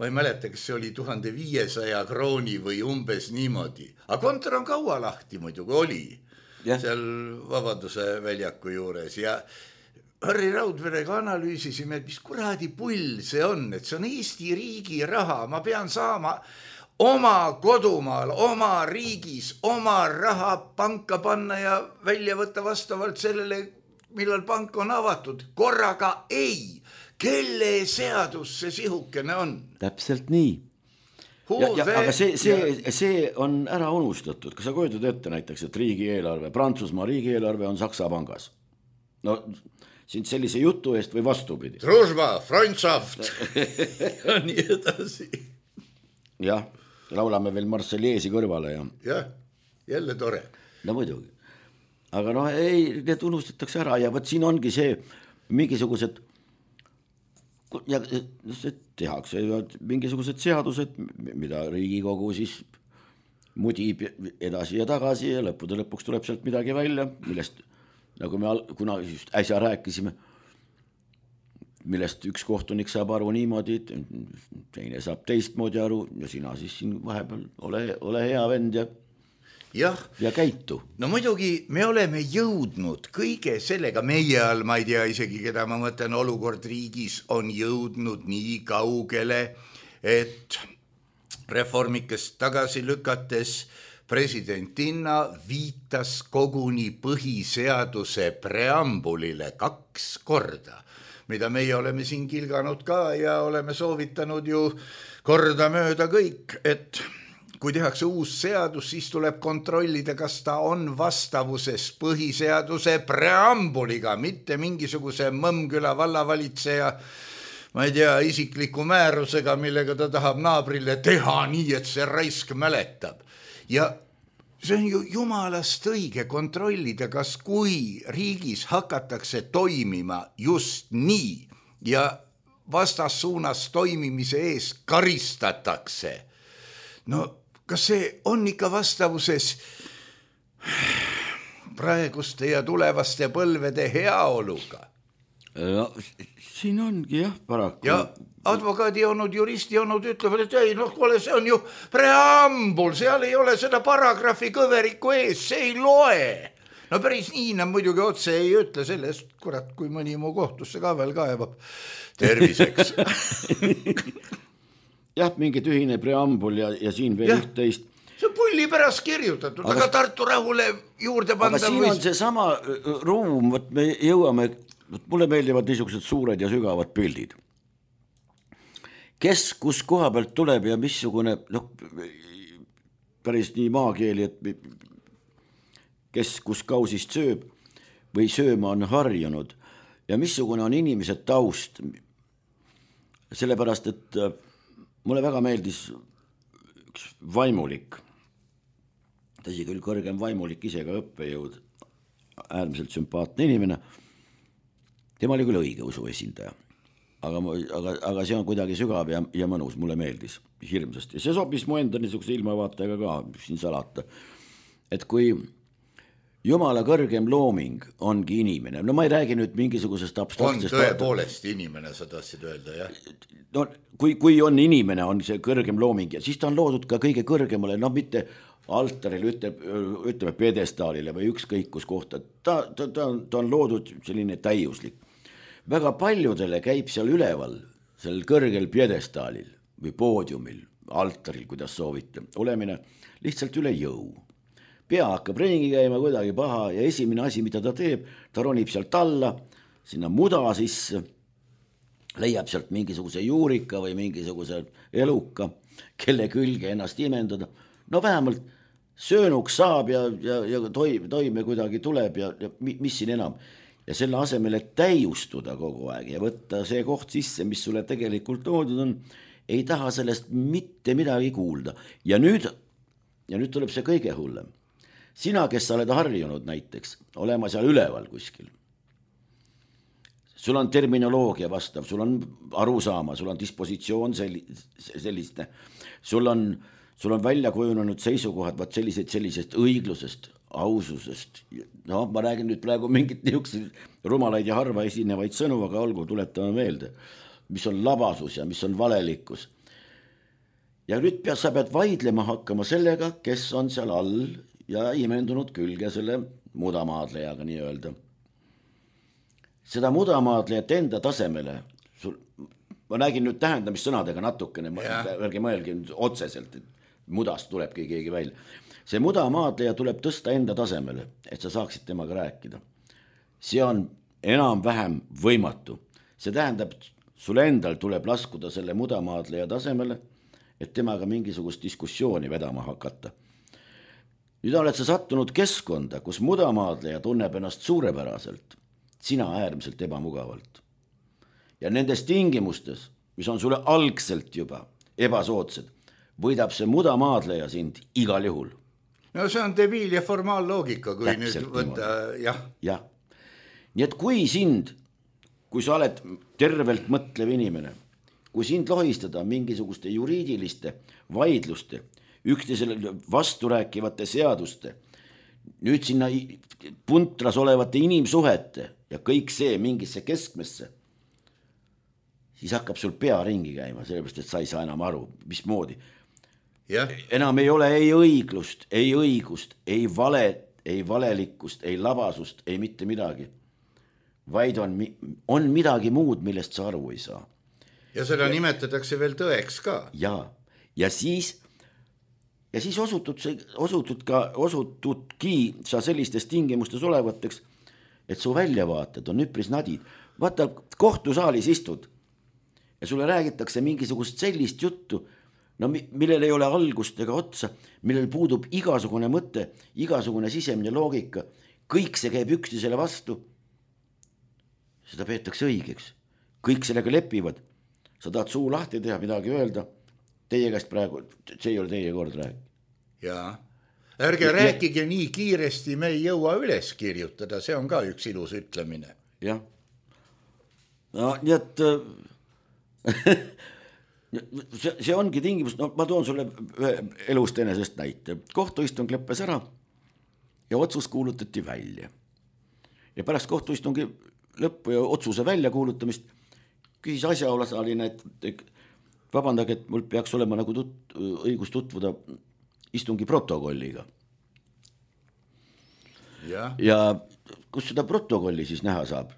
C: ma ei mäleta, kas see oli 1500 krooni või umbes niimoodi. Aga kontor on kaua lahti muidugi oli. Seal Vabaduse väljaku juures ja Harri Raudverega analüüsisime, et mis kuradi pull see on, et see on Eesti riigi raha, ma pean saama oma kodumaal, oma riigis, oma raha panka panna ja välja võtta vastavalt sellele, millal pank on avatud. Korraga ei, kelle seadus see sihukene on?
D: Täpselt nii. Aga see on ära unustatud. Kas sa kujutad ette näiteks, et riigieelarve, Prantsusmaa riigieelarve on Saksa pangas? No siin sellise jutu eest või vastupidi.
C: Družba, Freundschaft ja nii edasi.
D: Jah, laulame veel Marseliesi kõrvale.
C: Jah, jälle tore.
D: No muidugi. Aga ei, need unustatakse ära ja võt siin ongi see mingisugused ja tehakse mingisugused seadused, mida Riigikogu siis mudib edasi ja tagasi ja lõppude lõpuks tuleb sealt midagi välja, millest, nagu me kunagi just äsja rääkisime, millest üks kohtunik saab aru niimoodi, teine saab teistmoodi aru ja sina siis siin vahepeal ole hea vend ja käitu.
C: No muidugi me oleme jõudnud kõige sellega, meie all, ma ei tea isegi, keda ma mõtlen, olukord riigis on jõudnud nii kaugele, et reformikest tagasi lükates presidentinna viitas koguni põhiseaduse preambulile 2 korda, mida meie oleme siin kilganud ka ja oleme soovitanud ju kordamööda kõik, et kui tehakse uus seadus, siis tuleb kontrollida, kas ta on vastavuses põhiseaduse preambuliga, mitte mingisuguse Mõmmküla vallavalitseja, ma ei tea, isikliku määrusega, millega ta tahab naabrile teha nii, et see raisk mäletab. Ja see on ju jumalast õige kontrollida, kas kui riigis hakatakse toimima just nii ja vastassuunas toimimise ees karistatakse. No kas see on ikka vastavuses praeguste ja tulevaste põlvede heaoluga?
D: No, siin ongi paraku.
C: Ja advokaadi olnud, juristi olnud ütlevad, et ei, kuule, see on ju preambul, seal ei ole seda paragrahvi kõveriku ees, see ei loe. No päris nii, muidugi otse ei ütle sellest, kurat, kui mõni mu kohtusse ka veel kaevab. Terviseks.
D: Jah, mingi tühine preambul ja siin veel üht-teist.
C: See on pulli pärast kirjutatud, aga Tartu rahule juurde panda.
D: Aga siin on see sama ruum, me jõuame, mulle meeldivad niisugused suured ja sügavad pildid. Kes kus koha pealt tuleb ja missugune, päris nii maakeeli, et kes kus kausist sööb või sööma on harjunud ja missugune on inimese taust. Sellepärast, et mulle väga meeldis üks vaimulik, tõsi küll kõrgem vaimulik, ise ka õppejõud, äärmiselt sümpaatne inimene. Tema oli küll õige usu esindaja, aga see on kuidagi sügav ja mõnus, mulle meeldis hirmsasti. See sobis mu enda niisuguse ilmavaatega ka siin salata. Et kui Jumala kõrgem looming ongi inimene. No ma ei räägi nüüd mingisugusest abstraktsest...
C: On tõepoolest inimene, sa tahtsid öelda, jah?
D: No kui on inimene, on see kõrgem looming ja siis ta on loodud ka kõige kõrgemale, no mitte altaril, ütleme pedestaalile või ükskõik kus kohta. Ta on loodud selline täiuslik. Väga paljudele käib seal üleval, sellel kõrgel pedestaalil või poodiumil, altaril, kuidas soovite, olemine lihtsalt üle jõu. Pea hakkab ringi käima kuidagi paha ja esimene asi, mida ta teeb, ta ronib sealt alla, sinna muda sisse, leiab sealt mingisuguse juurika või mingisuguse eluka, kelle külge ennast imendada. No vähemalt söönuks saab ja toime kuidagi tuleb ja mis siin enam. Ja selle asemel, et täiustuda kogu aeg ja võtta see koht sisse, mis sulle tegelikult loodud on, ei taha sellest mitte midagi kuulda. Ja nüüd tuleb see kõige hullem. Sina, kes sa oled harjunud näiteks, olema seal üleval kuskil. Sul on terminoloogia vastav, sul on arusaama, sul on dispositsioon selliste, sul on välja kujunenud seisukohad sellisest õiglusest, aususest. No ma räägin nüüd praegu mingit niisugused rumalaid ja harva esinevaid sõnu, aga olgu, tuletame meelde, mis on labasus ja mis on valelikkus. Ja nüüd sa pead vaidlema hakkama sellega, kes on seal all ja imendunud külge selle mudamaadlejaga nii öelda. Seda mudamaadlejat enda tasemele, ma räägin nüüd tähendamissõnadega natukene, ärge mõelge otseselt, et mudast tulebki keegi välja. See mudamaadleja tuleb tõsta enda tasemele, et sa saaksid temaga rääkida. See on enam-vähem võimatu. See tähendab, sul endal tuleb laskuda selle mudamaadleja tasemele, et temaga mingisugust diskussiooni vedama hakata. Nüüd oled sa sattunud keskkonda, kus mudamaadleja tunneb ennast suurepäraselt, sina äärmiselt ebamugavalt. Ja nendes tingimustes, mis on sulle algselt juba ebasoodsed, võidab see mudamaadleja sind igal juhul.
C: No see on debiil ja formaalloogika, kui täpselt nüüd võtta, jah.
D: Nii et kui sa oled tervelt mõtlev inimene, kui sind lohistada mingisugust juriidiliste vaidluste, üksteisele vasturääkivate seaduste, nüüd sinna puntras olevate inimsuhete ja kõik see mingisse keskmesse, siis hakkab sul pea ringi käima, sellepärast, et sa ei saa enam aru, mismoodi. Enam ei ole ei õiglust, ei õigust, ei valet, ei valelikkust, ei labasust, ei mitte midagi. Vaid on midagi muud, millest sa aru ei saa.
C: Ja seda nimetatakse veel tõeks ka.
D: Ja siis osutudki sa sellistes tingimustes olevateks, et su väljavaated on üpris nadid. Vaata, kohtusaalis istud ja sulle räägitakse mingisugust sellist juttu, no millel ei ole algust ega otsa, millel puudub igasugune mõte, igasugune sisemine loogika, kõik see käib üksteisele vastu. Seda peetakse õigeks. Kõik sellega lepivad. Sa tahad suu lahti teha, midagi öelda. Teie käest praegu, see ei ole teie kord rääkida.
C: Jaa. Ärge rääkige nii kiiresti, me ei jõua üles kirjutada, see on ka üks ilus ütlemine.
D: Jah. No nii et see ongi tingimus, no ma toon sulle elust enesest näite. Kohtuistung lõppes ära ja otsus kuulutati välja. Ja pärast kohtuistungi lõppu ja otsuse välja kuulutamist küsis asjaosaline, et vabandage, et mul peaks olema nagu õigus tutvuda istungi protokolliga. Ja kus seda protokolli siis näha saab?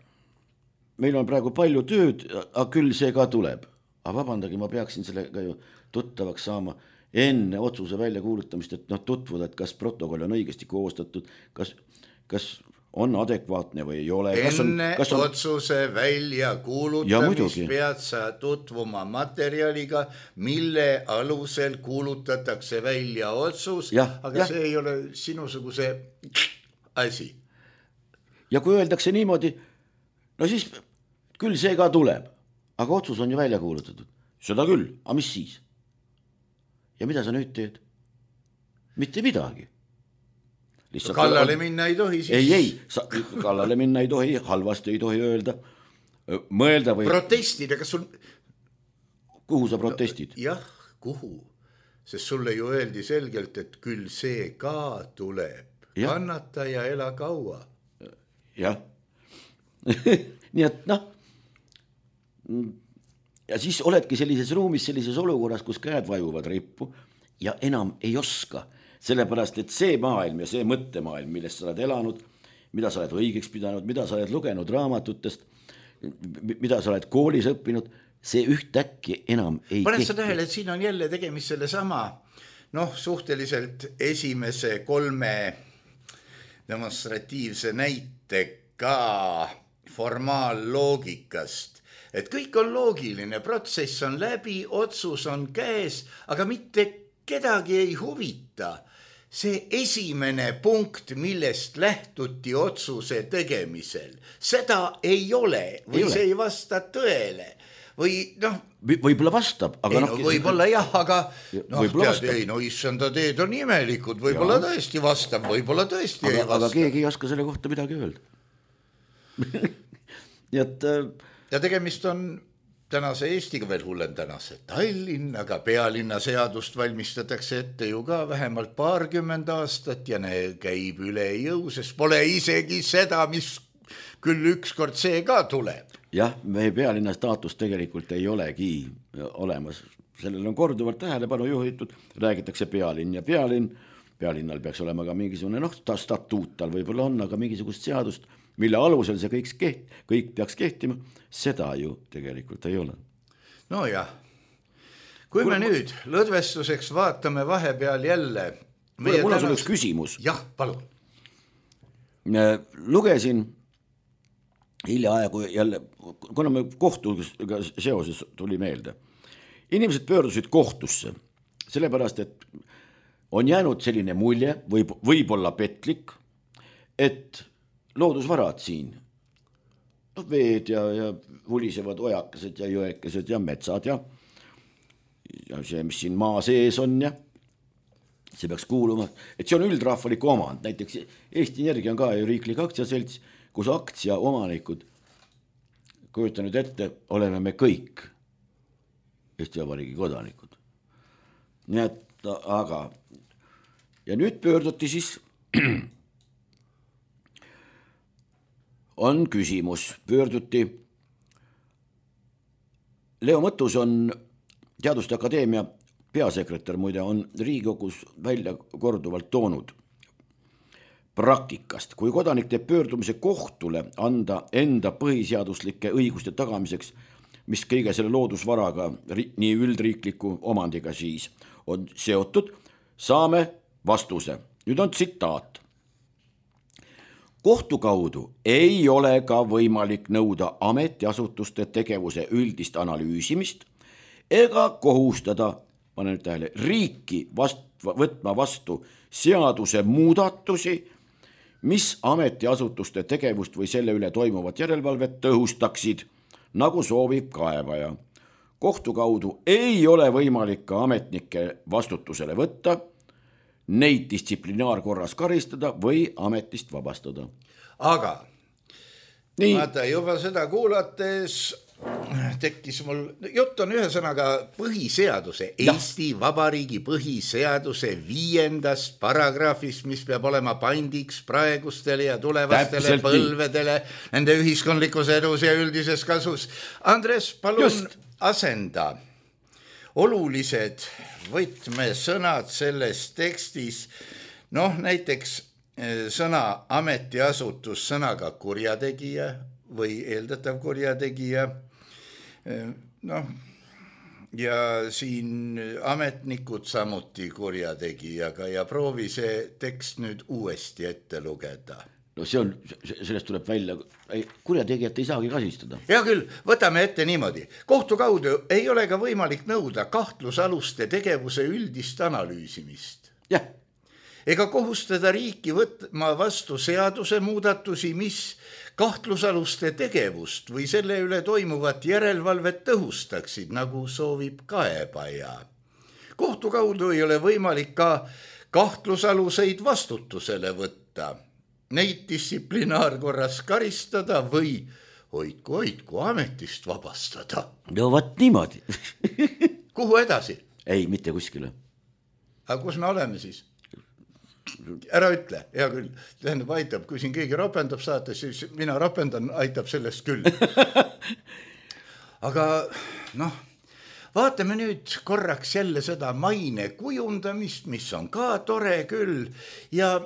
D: Meil on praegu palju tööd, aga küll see ka tuleb. Aga vabandage, ma peaksin sellega ju tuttavaks saama enne otsuse välja kuulutamist, et tutvuda, et kas protokoll on õigesti koostatud, kas on adekvaatne või ei ole.
C: Enne otsuse välja kuulutamist pead sa tutvuma materjaliga, mille alusel kuulutatakse välja otsus, aga see ei ole sinusuguse asi.
D: Ja kui öeldakse niimoodi, no siis küll see ka tuleb, aga otsus on ju välja kuulutatud. Seda küll, aga mis siis? Ja mida sa nüüd teed? Mitte midagi.
C: Kallale minna ei tohi siis.
D: Ei, kallale minna ei tohi, halvasti ei tohi öelda. Mõelda või...
C: Protestida, kas sul...
D: Kuhu sa protestid?
C: Jah, kuhu? Sest sulle ju öeldi selgelt, et küll see ka tuleb. kannata ja ela kaua.
D: Jah. Nii et noh, ja siis oledki sellises ruumis, sellises olukorras, kus käed vajuvad rippu ja enam ei oska, sellepärast, et see maailm ja see mõttemaailm, millest sa oled elanud, mida sa oled õigeks pidanud, mida sa oled lugenud raamatutest, mida sa oled koolis õppinud, see ühtäkki enam ei
C: paned sa tähele, et siin on jälle tegemist selle sama, suhteliselt esimese 3 demonstratiivse näitega formaalloogikast, et kõik on loogiline, protsess on läbi, otsus on käes, aga mitte kedagi ei huvita. See esimene punkt, millest lähtuti otsuse tegemisel, seda ei ole või see ei vasta tõele või
D: võib-olla vastab, aga
C: võib-olla jah, aga issanda teed on imelikud, võib-olla tõesti vastab, võib-olla tõesti ei vasta.
D: Aga keegi ei oska selle kohta midagi öelda. Nii et
C: ja tegemist on tänase Eestiga veel hullem tänase Tallinnaga, pealinna seadust valmistatakse ette ju ka vähemalt 20 aastat ja käib üle jõu, sest pole isegi seda, mis küll ükskord see ka tuleb.
D: Jah, meie pealinna staatus tegelikult ei olegi olemas. Sellel on korduvalt tähelepanu juhitud, räägitakse pealinn ja pealinnal peaks olema ka mingisugune, statuut tal võib-olla on, aga mingisugust seadust, mille alusel see kõik peaks kehtima, seda ju tegelikult ei ole.
C: Nojah, kui me nüüd lõdvestuseks vaatame vahepeal jälle...
D: Mul on sul üks küsimus.
C: Jah, palun.
D: Lugesin hiljaaegu jälle, kuna me kohtuga seoses tuli meelde. Inimesed pöördusid kohtusse, sellepärast, et on jäänud selline mulje, võib-olla petlik, et loodusvarad siin, veed ja vulisevad ojakesed ja jõekesed ja metsad ja see, mis siin maa sees on ja see peaks kuuluma, et see on üldrahvalik omand, näiteks Eesti Energia on ka ju riiklik aktsiaselts, kus aktsia omanikud, kujuta nüüd ette, oleme me kõik Eesti Vabariigi kodanikud. Nii et, aga ja nüüd pöörduti siis on küsimus, pöörduti Leo Mõttus on Teaduste Akadeemia peasekretär, muide on Riigikogus välja korduvalt toonud praktikast, kui kodanik teeb pöördumise kohtule anda enda põhiseaduslike õiguste tagamiseks, mis kõige selle loodusvaraga, nii üldriikliku omandiga siis on seotud, saame vastuse. Nüüd on tsitaat. Kohtu kaudu ei ole ka võimalik nõuda ametiasutuste tegevuse üldist analüüsimist ega kohustada, panen tähele, riiki võtma vastu seaduse muudatusi, mis ametiasutuste tegevust või selle üle toimuvat järelevalvet tõhustaksid, nagu soovib kaebaja. Kohtu kaudu ei ole võimalik ka ametnike vastutusele võtta, neid distsiplinaarkorras karistada või ametist vabastada.
C: Aga vaata, juba seda kuulates tekkis mul, jutt on ühesõnaga põhiseaduse, Eesti Vabariigi põhiseaduse 5. paragrahvist, mis peab olema pandiks praegustele ja tulevastele põlvedele, nende ühiskondlikus edus ja üldises kasus. Andres, palun asenda olulised võtmesõnad selles tekstis, näiteks sõna ametiasutus sõnaga kurjategija või eeldatav kurjategija, ja siin ametnikud samuti kurjategijaga ja proovi see tekst nüüd uuesti ette lugeda.
D: Sellest tuleb välja, kurjategijat ei saagi kasistada.
C: Hea küll, võtame ette niimoodi. Kohtu kaudu ei ole ka võimalik nõuda kahtlusaluste tegevuse üldist analüüsimist.
D: Jah.
C: Ega kohustada riiki võtma vastu seaduse muudatusi, mis kahtlusaluste tegevust või selle üle toimuvat järelevalvet tõhustaksid, nagu soovib kaebaja. Kohtu kaudu ei ole võimalik ka kahtlusaluseid vastutusele võtta, neid distsiplinaarkorras karistada või hoidku ametist vabastada.
D: No võt niimoodi.
C: Kuhu edasi?
D: Ei, mitte kuskile.
C: Aga kus me oleme siis? ära ütle, hea küll, tähendab aitab, kui siin keegi rapendab saates, siis mina rapendan, aitab sellest küll. Aga noh, vaatame nüüd korraks jälle seda maine kujundamist, mis on ka tore küll ja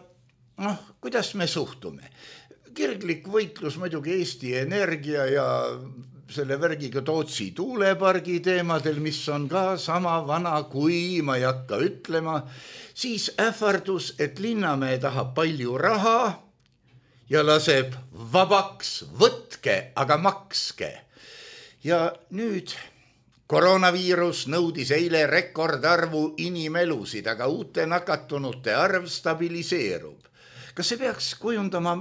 C: noh, kuidas me suhtume. Kirglik võitlus muidugi Eesti Energia ja selle värgiga Tootsi tuulepargi teemadel, mis on ka sama vana kui, ma ei hakka ütlema, siis ähvardus, et Linnamäe tahab palju raha ja laseb vabaks, võtke, aga makske. Ja nüüd koroonaviirus nõudis eile rekordarvu inimelusid, aga uute nakatunute arv stabiliseerub. Kas see peaks kujundama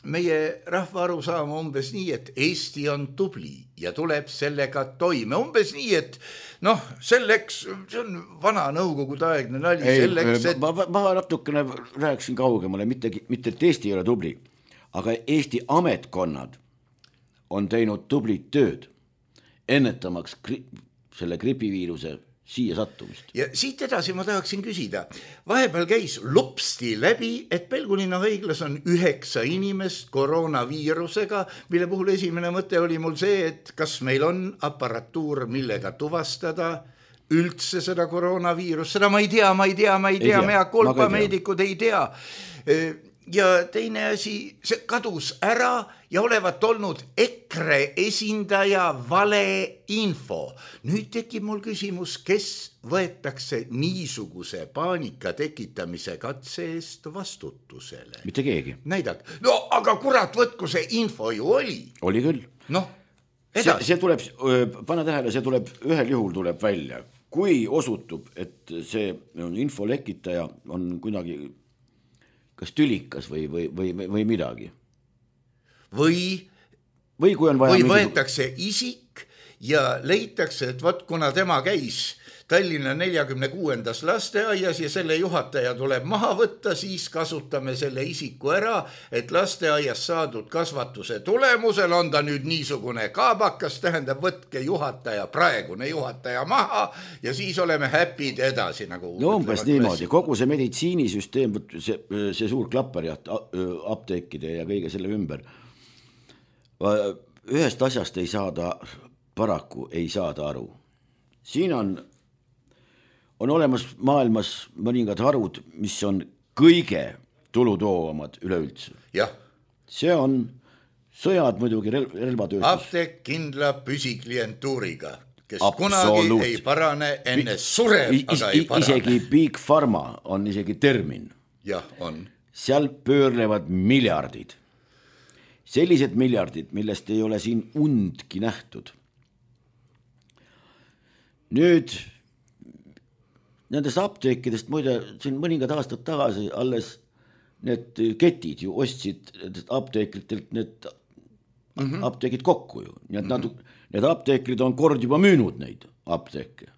C: meie rahva arusaama umbes nii, et Eesti on tubli ja tuleb sellega toime. Umbes nii, et noh, selleks, see on vana nõukogude aegne nali.
D: Ma natukene rääkisin kaugemale, mitte et Eesti ei ole tubli, aga Eesti ametkonnad on teinud tublit tööd, ennetamaks selle gripiviiruse siia sattumist.
C: Ja siit edasi ma tahaksin küsida. Vahepeal käis lupsti läbi, et Pelgulinna haiglas on 9 inimest koroonaviirusega, mille puhul esimene mõte oli mul see, et kas meil on aparatuur, millega tuvastada üldse seda koroonaviirust. Seda ma ei tea, mea kolpa meedikud ei tea. Ja teine asi, see kadus ära ja olevat olnud EKRE esindaja valeinfo. Nüüd tekib mul küsimus, kes võetakse niisuguse paanika tekitamise katse eest vastutusele?
D: Mitte keegi.
C: Näidak. No aga kurat, võtku see info ju oli.
D: Oli küll.
C: Noh, edasi.
D: See tuleb, pane tähele, see tuleb, ühel juhul tuleb välja. Kui osutub, et see info lekitaja on kuidagi kas tülikas või midagi. Või kui on vaja
C: või võetakse isik ja leitakse, et võt, kuna tema käis Tallinna 46. lasteaias ja selle juhataja tuleb maha võtta, siis kasutame selle isiku ära, et lasteaias saadud kasvatuse tulemusel on ta nüüd niisugune kaabakas, tähendab, võtke juhataja, praegune juhataja maha ja siis oleme happy'd edasi. Nagu
D: no umbes niimoodi, kogu see meditsiinisüsteem, see suur klapperjaht apteekide ja kõige selle ümber. Ühest asjast ei saada, paraku ei saada aru. Siin on olemas maailmas mõningad harud, mis on kõige tulutoovamad üleüldse.
C: Jah.
D: See on sõjad muidugi, relvatööstus.
C: Apteek kindla püsiklientuuriga, kes kunagi ei parane enne sureb, aga ei parane.
D: Isegi Big Pharma on isegi termin.
C: Jah, on.
D: Seal pöörlevad miljardid. Sellised miljardid, millest ei ole siin undki nähtud. Nüüd nendest apteekidest, muide, siin mõningad aastad tagasi alles need ketid ju ostsid apteekritelt need apteegid kokku ju. Nii et need apteekrid on kord juba müünud neid apteeke.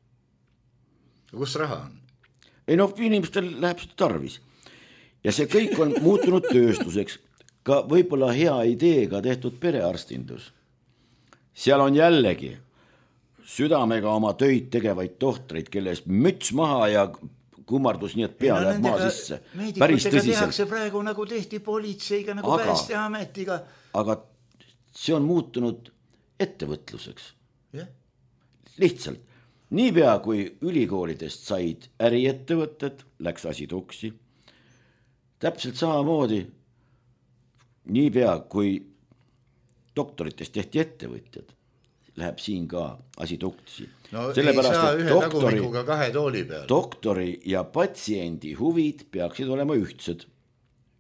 C: Kus raha on?
D: Ei noh, inimestel läheb seda tarvis. Ja see kõik on muutunud tööstuseks. Ka võib-olla hea ideega tehtud perearstindus. Seal on jällegi südamega oma töid tegevaid tohtreid, kellest müts maha ja kummardus nii, et pea läheb maa sisse. Päris tõsiselt.
C: Tehakse praegu nagu tehti politseiga, nagu Päästeametiga.
D: Aga see on muutunud ettevõtluseks.
C: Yeah.
D: Lihtsalt. Niipea kui ülikoolidest said äriettevõtted, läks asi tuksi. Täpselt samamoodi, niipea kui doktoritest tehti ettevõtjad, läheb siin ka asi tuksi.
C: No sellepärast, ei saa ühe tagumikuga 2 tooli peal.
D: Doktori ja patsiendi huvid peaksid olema ühtsed,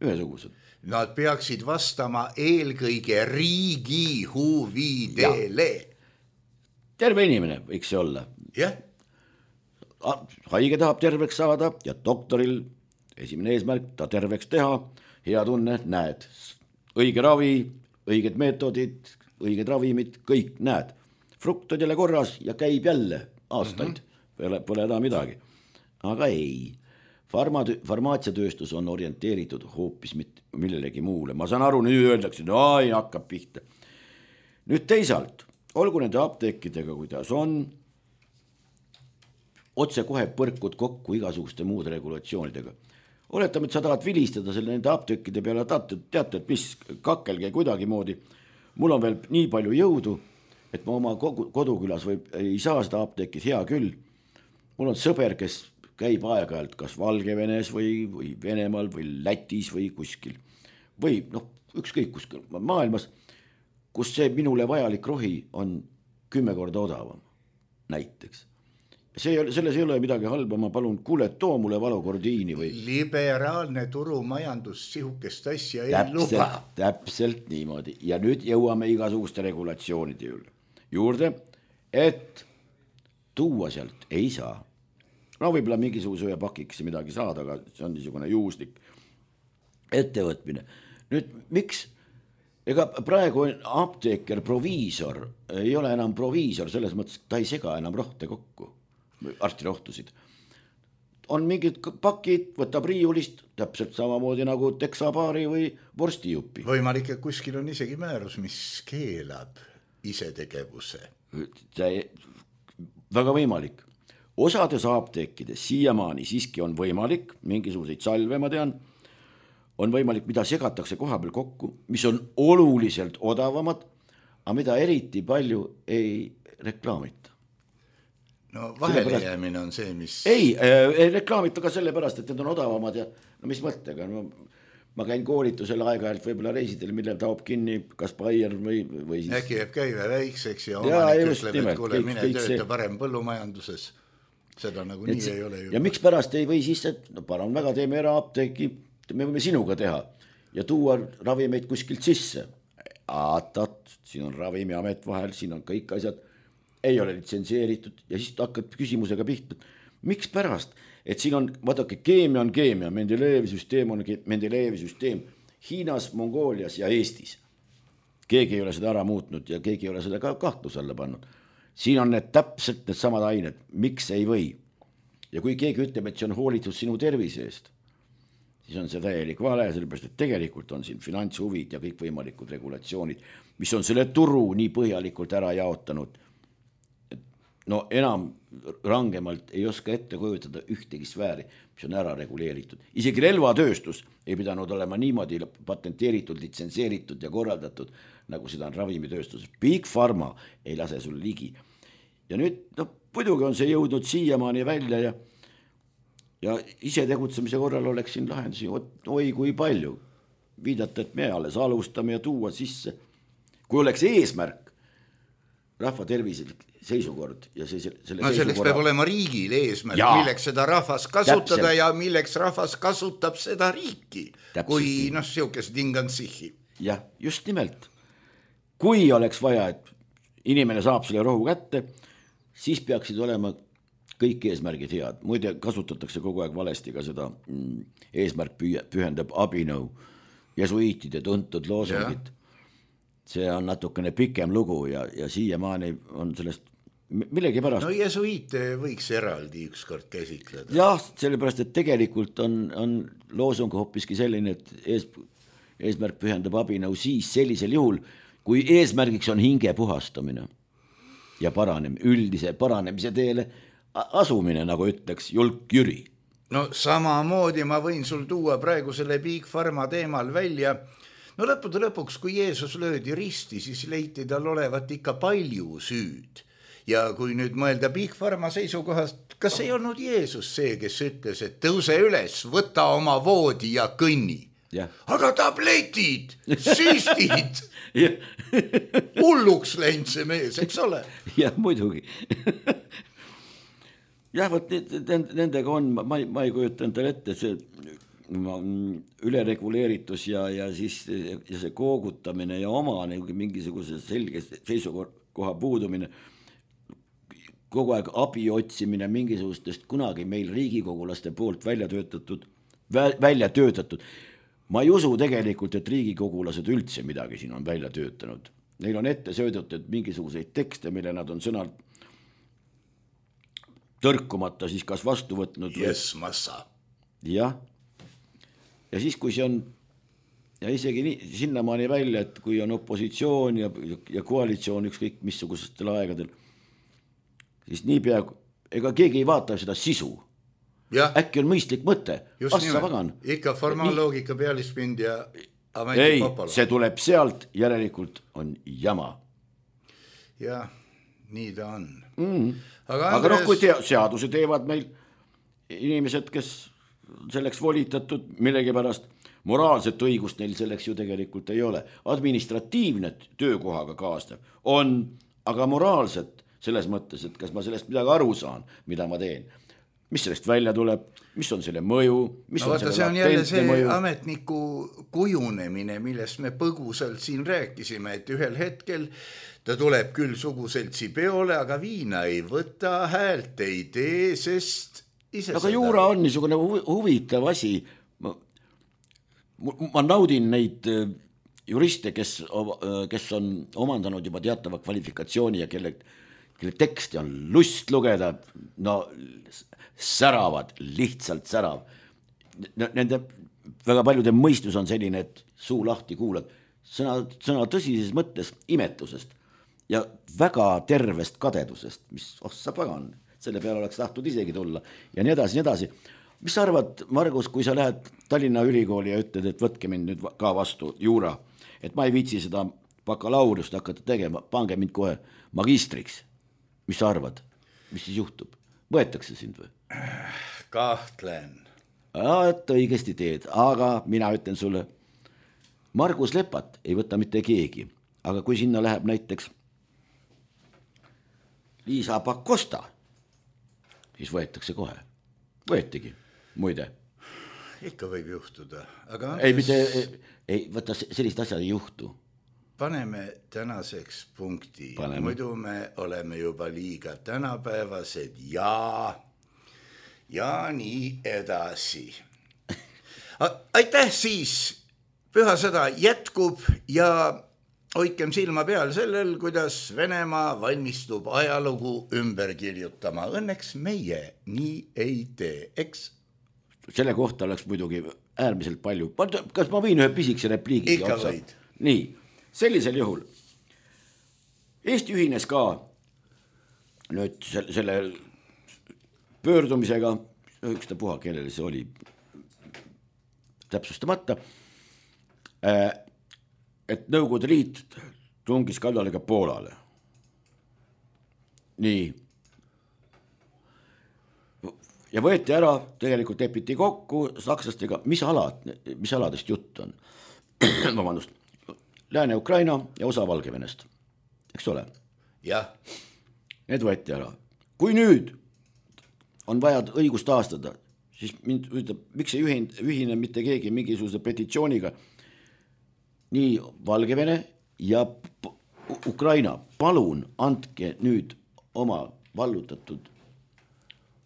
D: ühesugused.
C: Nad peaksid vastama eelkõige riigi huvidele.
D: Terve inimene võiks see olla.
C: Jah.
D: Haige tahab terveks saada ja doktoril esimene eesmärk ta terveks teha, hea tunne, näed. Õige ravi, õiged meetodid, õiged ravimid, kõik näed. Fruktod jälle korras ja käib jälle aastaid, pole enam midagi. Aga ei, farmaatsiatööstus on orienteeritud hoopis millelegi muule. Ma saan aru, nüüd öeldakse, no ei hakkab pihta. Nüüd teisalt, olgu nende apteekidega, kuidas on, otse kohe põrkud kokku igasuguste muude regulatsioonidega. oletame, et sa tahad vilistada selle nende apteekide peale, teate, et mis kakkelge kuidagi moodi. Mul on veel nii palju jõudu, et ma oma kodukülas ei saa seda apteekid, hea küll. Mul on sõber, kes käib aeg-ajalt kas Valgevenes või Venemaal või Lätis või kuskil. Või ükskõik kuskil maailmas, kus see minule vajalik rohi on 10 korda odavam näiteks. Selles ei ole midagi halba, ma palun, kuule, too mulle valukordiini või...
C: Liberaalne turumajandus sihukest asja ei luba.
D: Täpselt niimoodi. Ja nüüd jõuame igasuguste regulatsioonide juurde, et tuua sealt ei saa. No võib-olla mingisuguse ühe pakikese midagi saada, aga see on niisugune juhuslik ettevõtmine. Nüüd, miks? Ega praegu apteeker, proviisor ei ole enam proviisor, selles mõttes, et ta ei sega enam rohte kokku, arstirohtusid. On mingid pakid, võtab riiulist, täpselt samamoodi nagu teksapaari või vorstijupi.
C: Võimalik, et kuskil on isegi määrus, mis keelab isetegevuse.
D: Väga võimalik. Osades apteekides siiamaani siiski on võimalik, mingisuguseid salve ma tean, on võimalik, mida segatakse koha peal kokku, mis on oluliselt odavamad, aga mida eriti palju ei reklaamita.
C: No vahele jäämine on see, mis...
D: Ei reklaamita ka sellepärast, et need on odavamad ja mis mõttega. Ma käin koolitusel aeg-ajalt võib-olla reisidel, millel taob kinni kas Bayer või siis...
C: Äkki jääb käive väikseks ja omanik ütleb, et kuule, mine tööta parem põllumajanduses. Seda nagu nii ei ole.
D: Ja miks pärast ei või siis, et parem väga teeme eraapteeki, me võime sinuga teha ja tuua ravimeid kuskilt sisse. Siin on ravimiamet vahel, siin on kõik asjad, ei ole litsenseeritud ja siis hakkad küsimusega pihta. Miks pärast? Et siin on, vaadake, keemia on keemia, Mendelejevi on Mendelejevi Hiinas, Mongoolias ja Eestis. Keegi ei ole seda ära muutnud ja keegi ei ole seda ka kahtluse alla pannud. Siin on need täpselt need samad ained, miks ei või. Ja kui keegi ütleb, et see on hoolitud sinu tervise eest, siis on see täielik vale, sellepärast, et tegelikult on siin finantshuvid ja kõik võimalikud regulatsioonid, mis on selle turu nii põhjalikult ära jaotanud. No enam rangemalt ei oska ette kujutada ühtegi sfääri, mis on ära reguleeritud. Isegi relvatööstus ei pidanud olema niimoodi patenteeritud, litsenseeritud ja korraldatud, nagu seda on ravimitööstus. Big Pharma ei lase sul ligi. Ja nüüd, muidugi on see jõudnud siiamaani välja ja ise tegutsemise korral oleks siin lahendusi, oi kui palju. Viidata, et me alles alustame ja tuua sisse. Kui oleks eesmärk, rahva tervislik seisukord ja
C: selleks peab olema riigil eesmärk, milleks seda rahvas kasutada ja milleks rahvas kasutab seda riiki, kui siukesed ingantsihi.
D: Jah, just nimelt. Kui oleks vaja, et inimene saab selle rohu kätte, siis peaksid olema kõik eesmärgid head. Muide, kasutatakse kogu aeg valesti ka seda eesmärk pühendab abinõu jesuiitide tuntud loosungit. See on natukene pikem lugu ja siiamaani on sellest millegi pärast.
C: No jesuiite võiks eraldi ükskord käsitleda.
D: Jah, sellepärast, et tegelikult on loosung hoopiski selline, et eesmärk pühendab abinõu siis sellisel juhul, kui eesmärgiks on hinge puhastamine ja üldise paranemise teele asumine, nagu ütleks Julk Jüri.
C: No samamoodi ma võin sul tuua praegu selle Big Pharma teemal välja. No lõpuks, kui Jeesus löödi risti, siis leiti tal olevat ikka palju süüd. Ja kui nüüd mõelda Big Pharma seisukohast, kas ei olnud Jeesus see, kes ütles, et tõuse üles, võta oma voodi ja kõnni.
D: Ja.
C: Aga tabletid, süstid, hulluks läinud see mees, eks ole?
D: Jah, muidugi. Jah, võt nendega on, ma ei kujuta endale ette, see ülereguleeritus ja see koogutamine ja oma mingisuguse selge seisukoha puudumine, kogu aeg abi otsimine mingisugustest kunagi meil riigikogulaste poolt välja töötatud. Ma ei usu tegelikult, et riigikogulased üldse midagi siin on välja töötanud. Neil on ette söödetud mingisuguseid tekste, mille nad on sõnalt tõrkumata siis kas vastu võtnud.
C: Yes, massa.
D: Jah. Ja siis, kui see on ja isegi sinnamaani välja, et kui on opositsioon ja koalitsioon ükskõik missugustel aegadel, siis niipea, ega keegi ei vaata seda sisu. äkki on mõistlik mõte.
C: Ikka formaalloogika pealispind ja
D: ei, see tuleb sealt, järelikult on jama.
C: Jah, nii ta on.
D: Aga kui seaduse teevad meil inimesed, kes selleks volitatud millegipärast, moraalset õigust neil selleks ju tegelikult ei ole. Administratiivne töökohaga kaasnev on, aga moraalset selles mõttes, et kas ma sellest midagi aru saan, mida ma teen. Mis sellest välja tuleb, mis on selle mõju, mis on selle
C: see on jälle see ametniku kujunemine, millest me põgusalt siin rääkisime, et ühel hetkel ta tuleb küll suguseltsi peole, aga viina ei võta, häält ei tee, sest ise
D: aga juura on niisugune huvitav asi. Ma naudin neid juriste, kes on omandanud juba teatava kvalifikatsiooni ja kelle teksti on lust lugeda, no säravad, lihtsalt särav. Nende väga paljude mõistus on selline, et suu lahti kuulad. Sõna tõsises mõttes imetlusest ja väga tervest kadedusest, mis sa pagan, selle peale oleks tahtnud isegi tulla ja nii edasi, nii edasi. Mis sa arvad, Margus, kui sa lähed Tallinna ülikooli ja ütled, et võtke mind nüüd ka vastu juura, et ma ei viitsi seda bakalaurust hakata tegema, pange mind kohe magistriks. Mis sa arvad? Mis siis juhtub? Võetakse sind või?
C: Kahtlen.
D: Et õigesti teed, aga mina ütlen sulle, Margus Lepat ei võta mitte keegi, aga kui sinna läheb näiteks Liisa Pakosta, siis võetakse kohe. Võetigi, muide.
C: Ikka võib juhtuda. Aga
D: ei, võta sellist asja ei juhtu.
C: Paneme tänaseks punkti. Muidu me oleme juba liiga tänapäevased ja nii edasi. Aitäh siis, pühasõda jätkub ja hoidkem silma peal sellel, kuidas Venemaa valmistub ajalugu ümber kirjutama. Õnneks meie nii ei tee, eks?
D: Selle kohta oleks muidugi äärmiselt palju. Kas ma võin ühe pisikese repliigi?
C: Ikka võid.
D: Nii, sellisel juhul. Eesti ühines ka nüüd selle pöördumisega, ükstapuha, kellele see oli täpsustamata, et Nõukogude Liit tungis kallale ka Poolale. Nii. Ja võeti ära, tegelikult lepiti kokku sakslastega, mis aladest jutt on. Vabandust, Lääne-Ukraina ja osa Valgevenest. Eks ole?
C: Jah.
D: Need võeti ära. Kui nüüd on vaja õigust taastada, siis mind ütleb, miks ei ühine mitte keegi mingisuguse petitsiooniga. Nii Valgevene ja Ukraina, palun andke nüüd oma vallutatud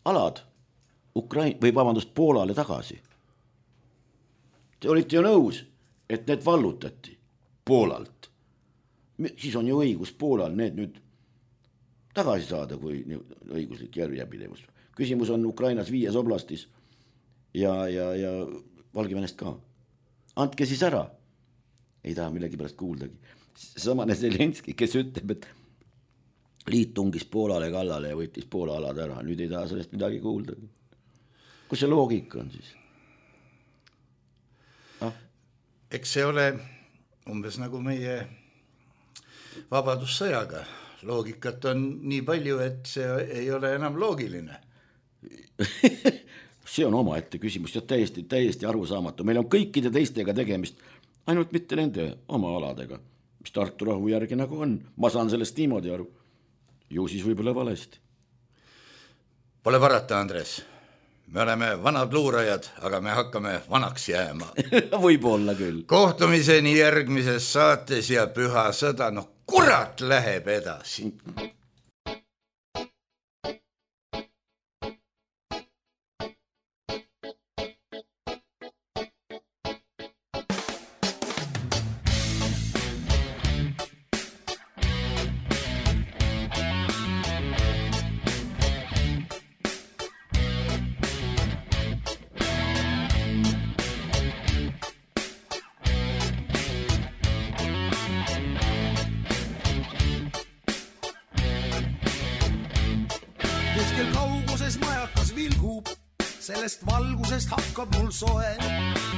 D: alad Poolale tagasi. Te olite ju nõus, et need vallutati Poolalt. Siis on ju õigus Poolal need nüüd tagasi saada, kui õiguslik järjepidevus. Küsimus on Ukrainas 5 oblastis ja Valgevenest ka. Andke siis ära. Ei taha millegi pärast kuuldagi. Samane Zelenski, kes ütleb, et liit tungis Poolale kallale ja võttis Poola alad ära. Nüüd ei taha sellest midagi kuuldagi. Kus see loogika on siis?
C: Eks see ole umbes nagu meie vabadussõjaga. Loogikat on nii palju, et see ei ole enam loogiline.
D: See on omaette küsimus ja täiesti arusaamatu. Meil on kõikide teistega tegemist, ainult mitte nende oma aladega, mis Tartu rahu järgi nagu on. Ma saan sellest niimoodi aru. Ju siis võib-olla valesti.
C: Pole parata, Andres. Me oleme vanad luurajad, aga me hakkame vanaks jääma.
D: Võib-olla küll.
C: Kohtumiseni järgmises saates ja püha sõda, kurat läheb edasi.
E: sellest valgusest hakkab mul soe.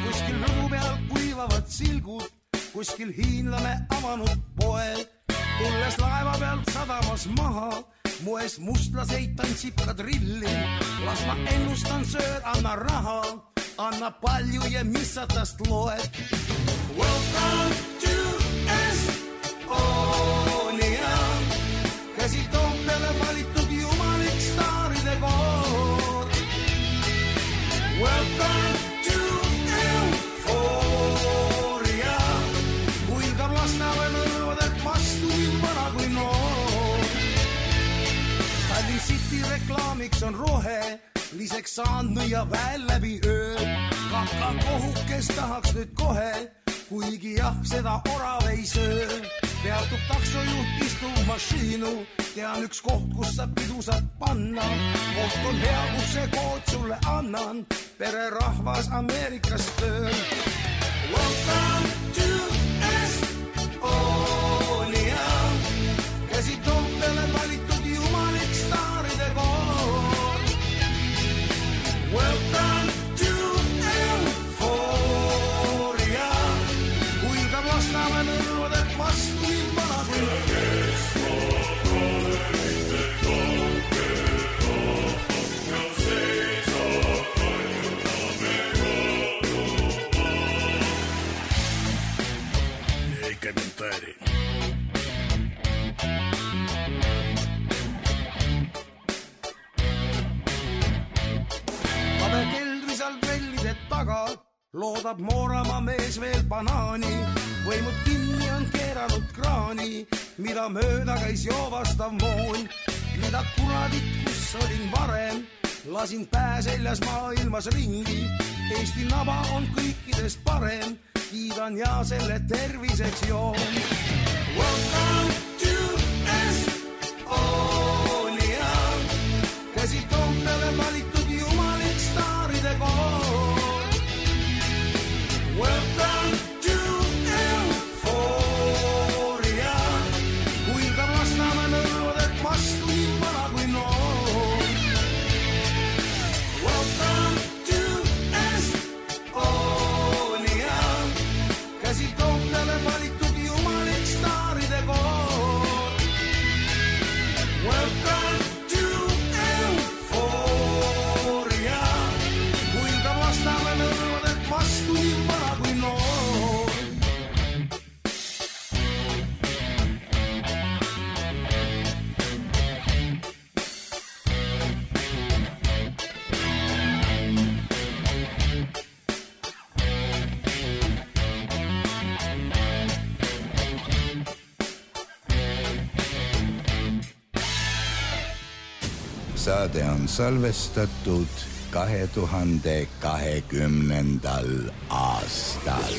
E: Kuskil rõdu peal kuivavad silgud, kuskil hiinlane avanud poe. Tulles laeva pealt sadamas maha, mu ees mustlaseid tantsib kadrilli. Las ma ennustan söör, anna raha, anna palju ja mis sa tast loed. Welcome to Estonia, käsi Toompeale valitud jumalik staaride koor. Welcome to Euphoria, kuilgab Lasnamäe nõrvadelt vastu nii vana kui noor. Tallinn City reklaamiks on rohe, liseks saanud ja väel läbi öö. Kakakohukes tahaks nüüd kohe, kuigi jah, seda orav ei söö. Peatub taksojuht, istub mašiinu, tean üks koht, kus sa pidu saad panna. Koht on hea, kus see kood sulle annan, pererahvas Ameerikast tööl. Welcome to Estonia, käsi Toompeale valitud jumalik staaride koor. Welcome to Euphoria, kuilgab Lasnamäe nõrvadelt vastu nii vana kui комментарий. Kabe keldris all trellide taga loodab Mooramaa mees veel banaani. Võimud kinni on keeranud kraani, mida mööda käis joovastav moon. Mida kuradit, kus olin varem, lasin pääseljas maailmas ringi. Eesti naba on kõikidest parem, kiidan ja selle terviseks joon. Welcome to Estonia, käsi Toompeale valitud jumalik staaride koor. Welcome to Euphoria, kuilgab Lasnamäe nõrvadelt vastu nii vana kui noor. Welcome to Estonia, käsi Toompeale valitud jumalik staaride koor. Welcome to Euphoria, kuilgab Lasnamäe nõrvadelt vastu nii vana kui noor.
F: Saade on salvestatud 2020. aastal.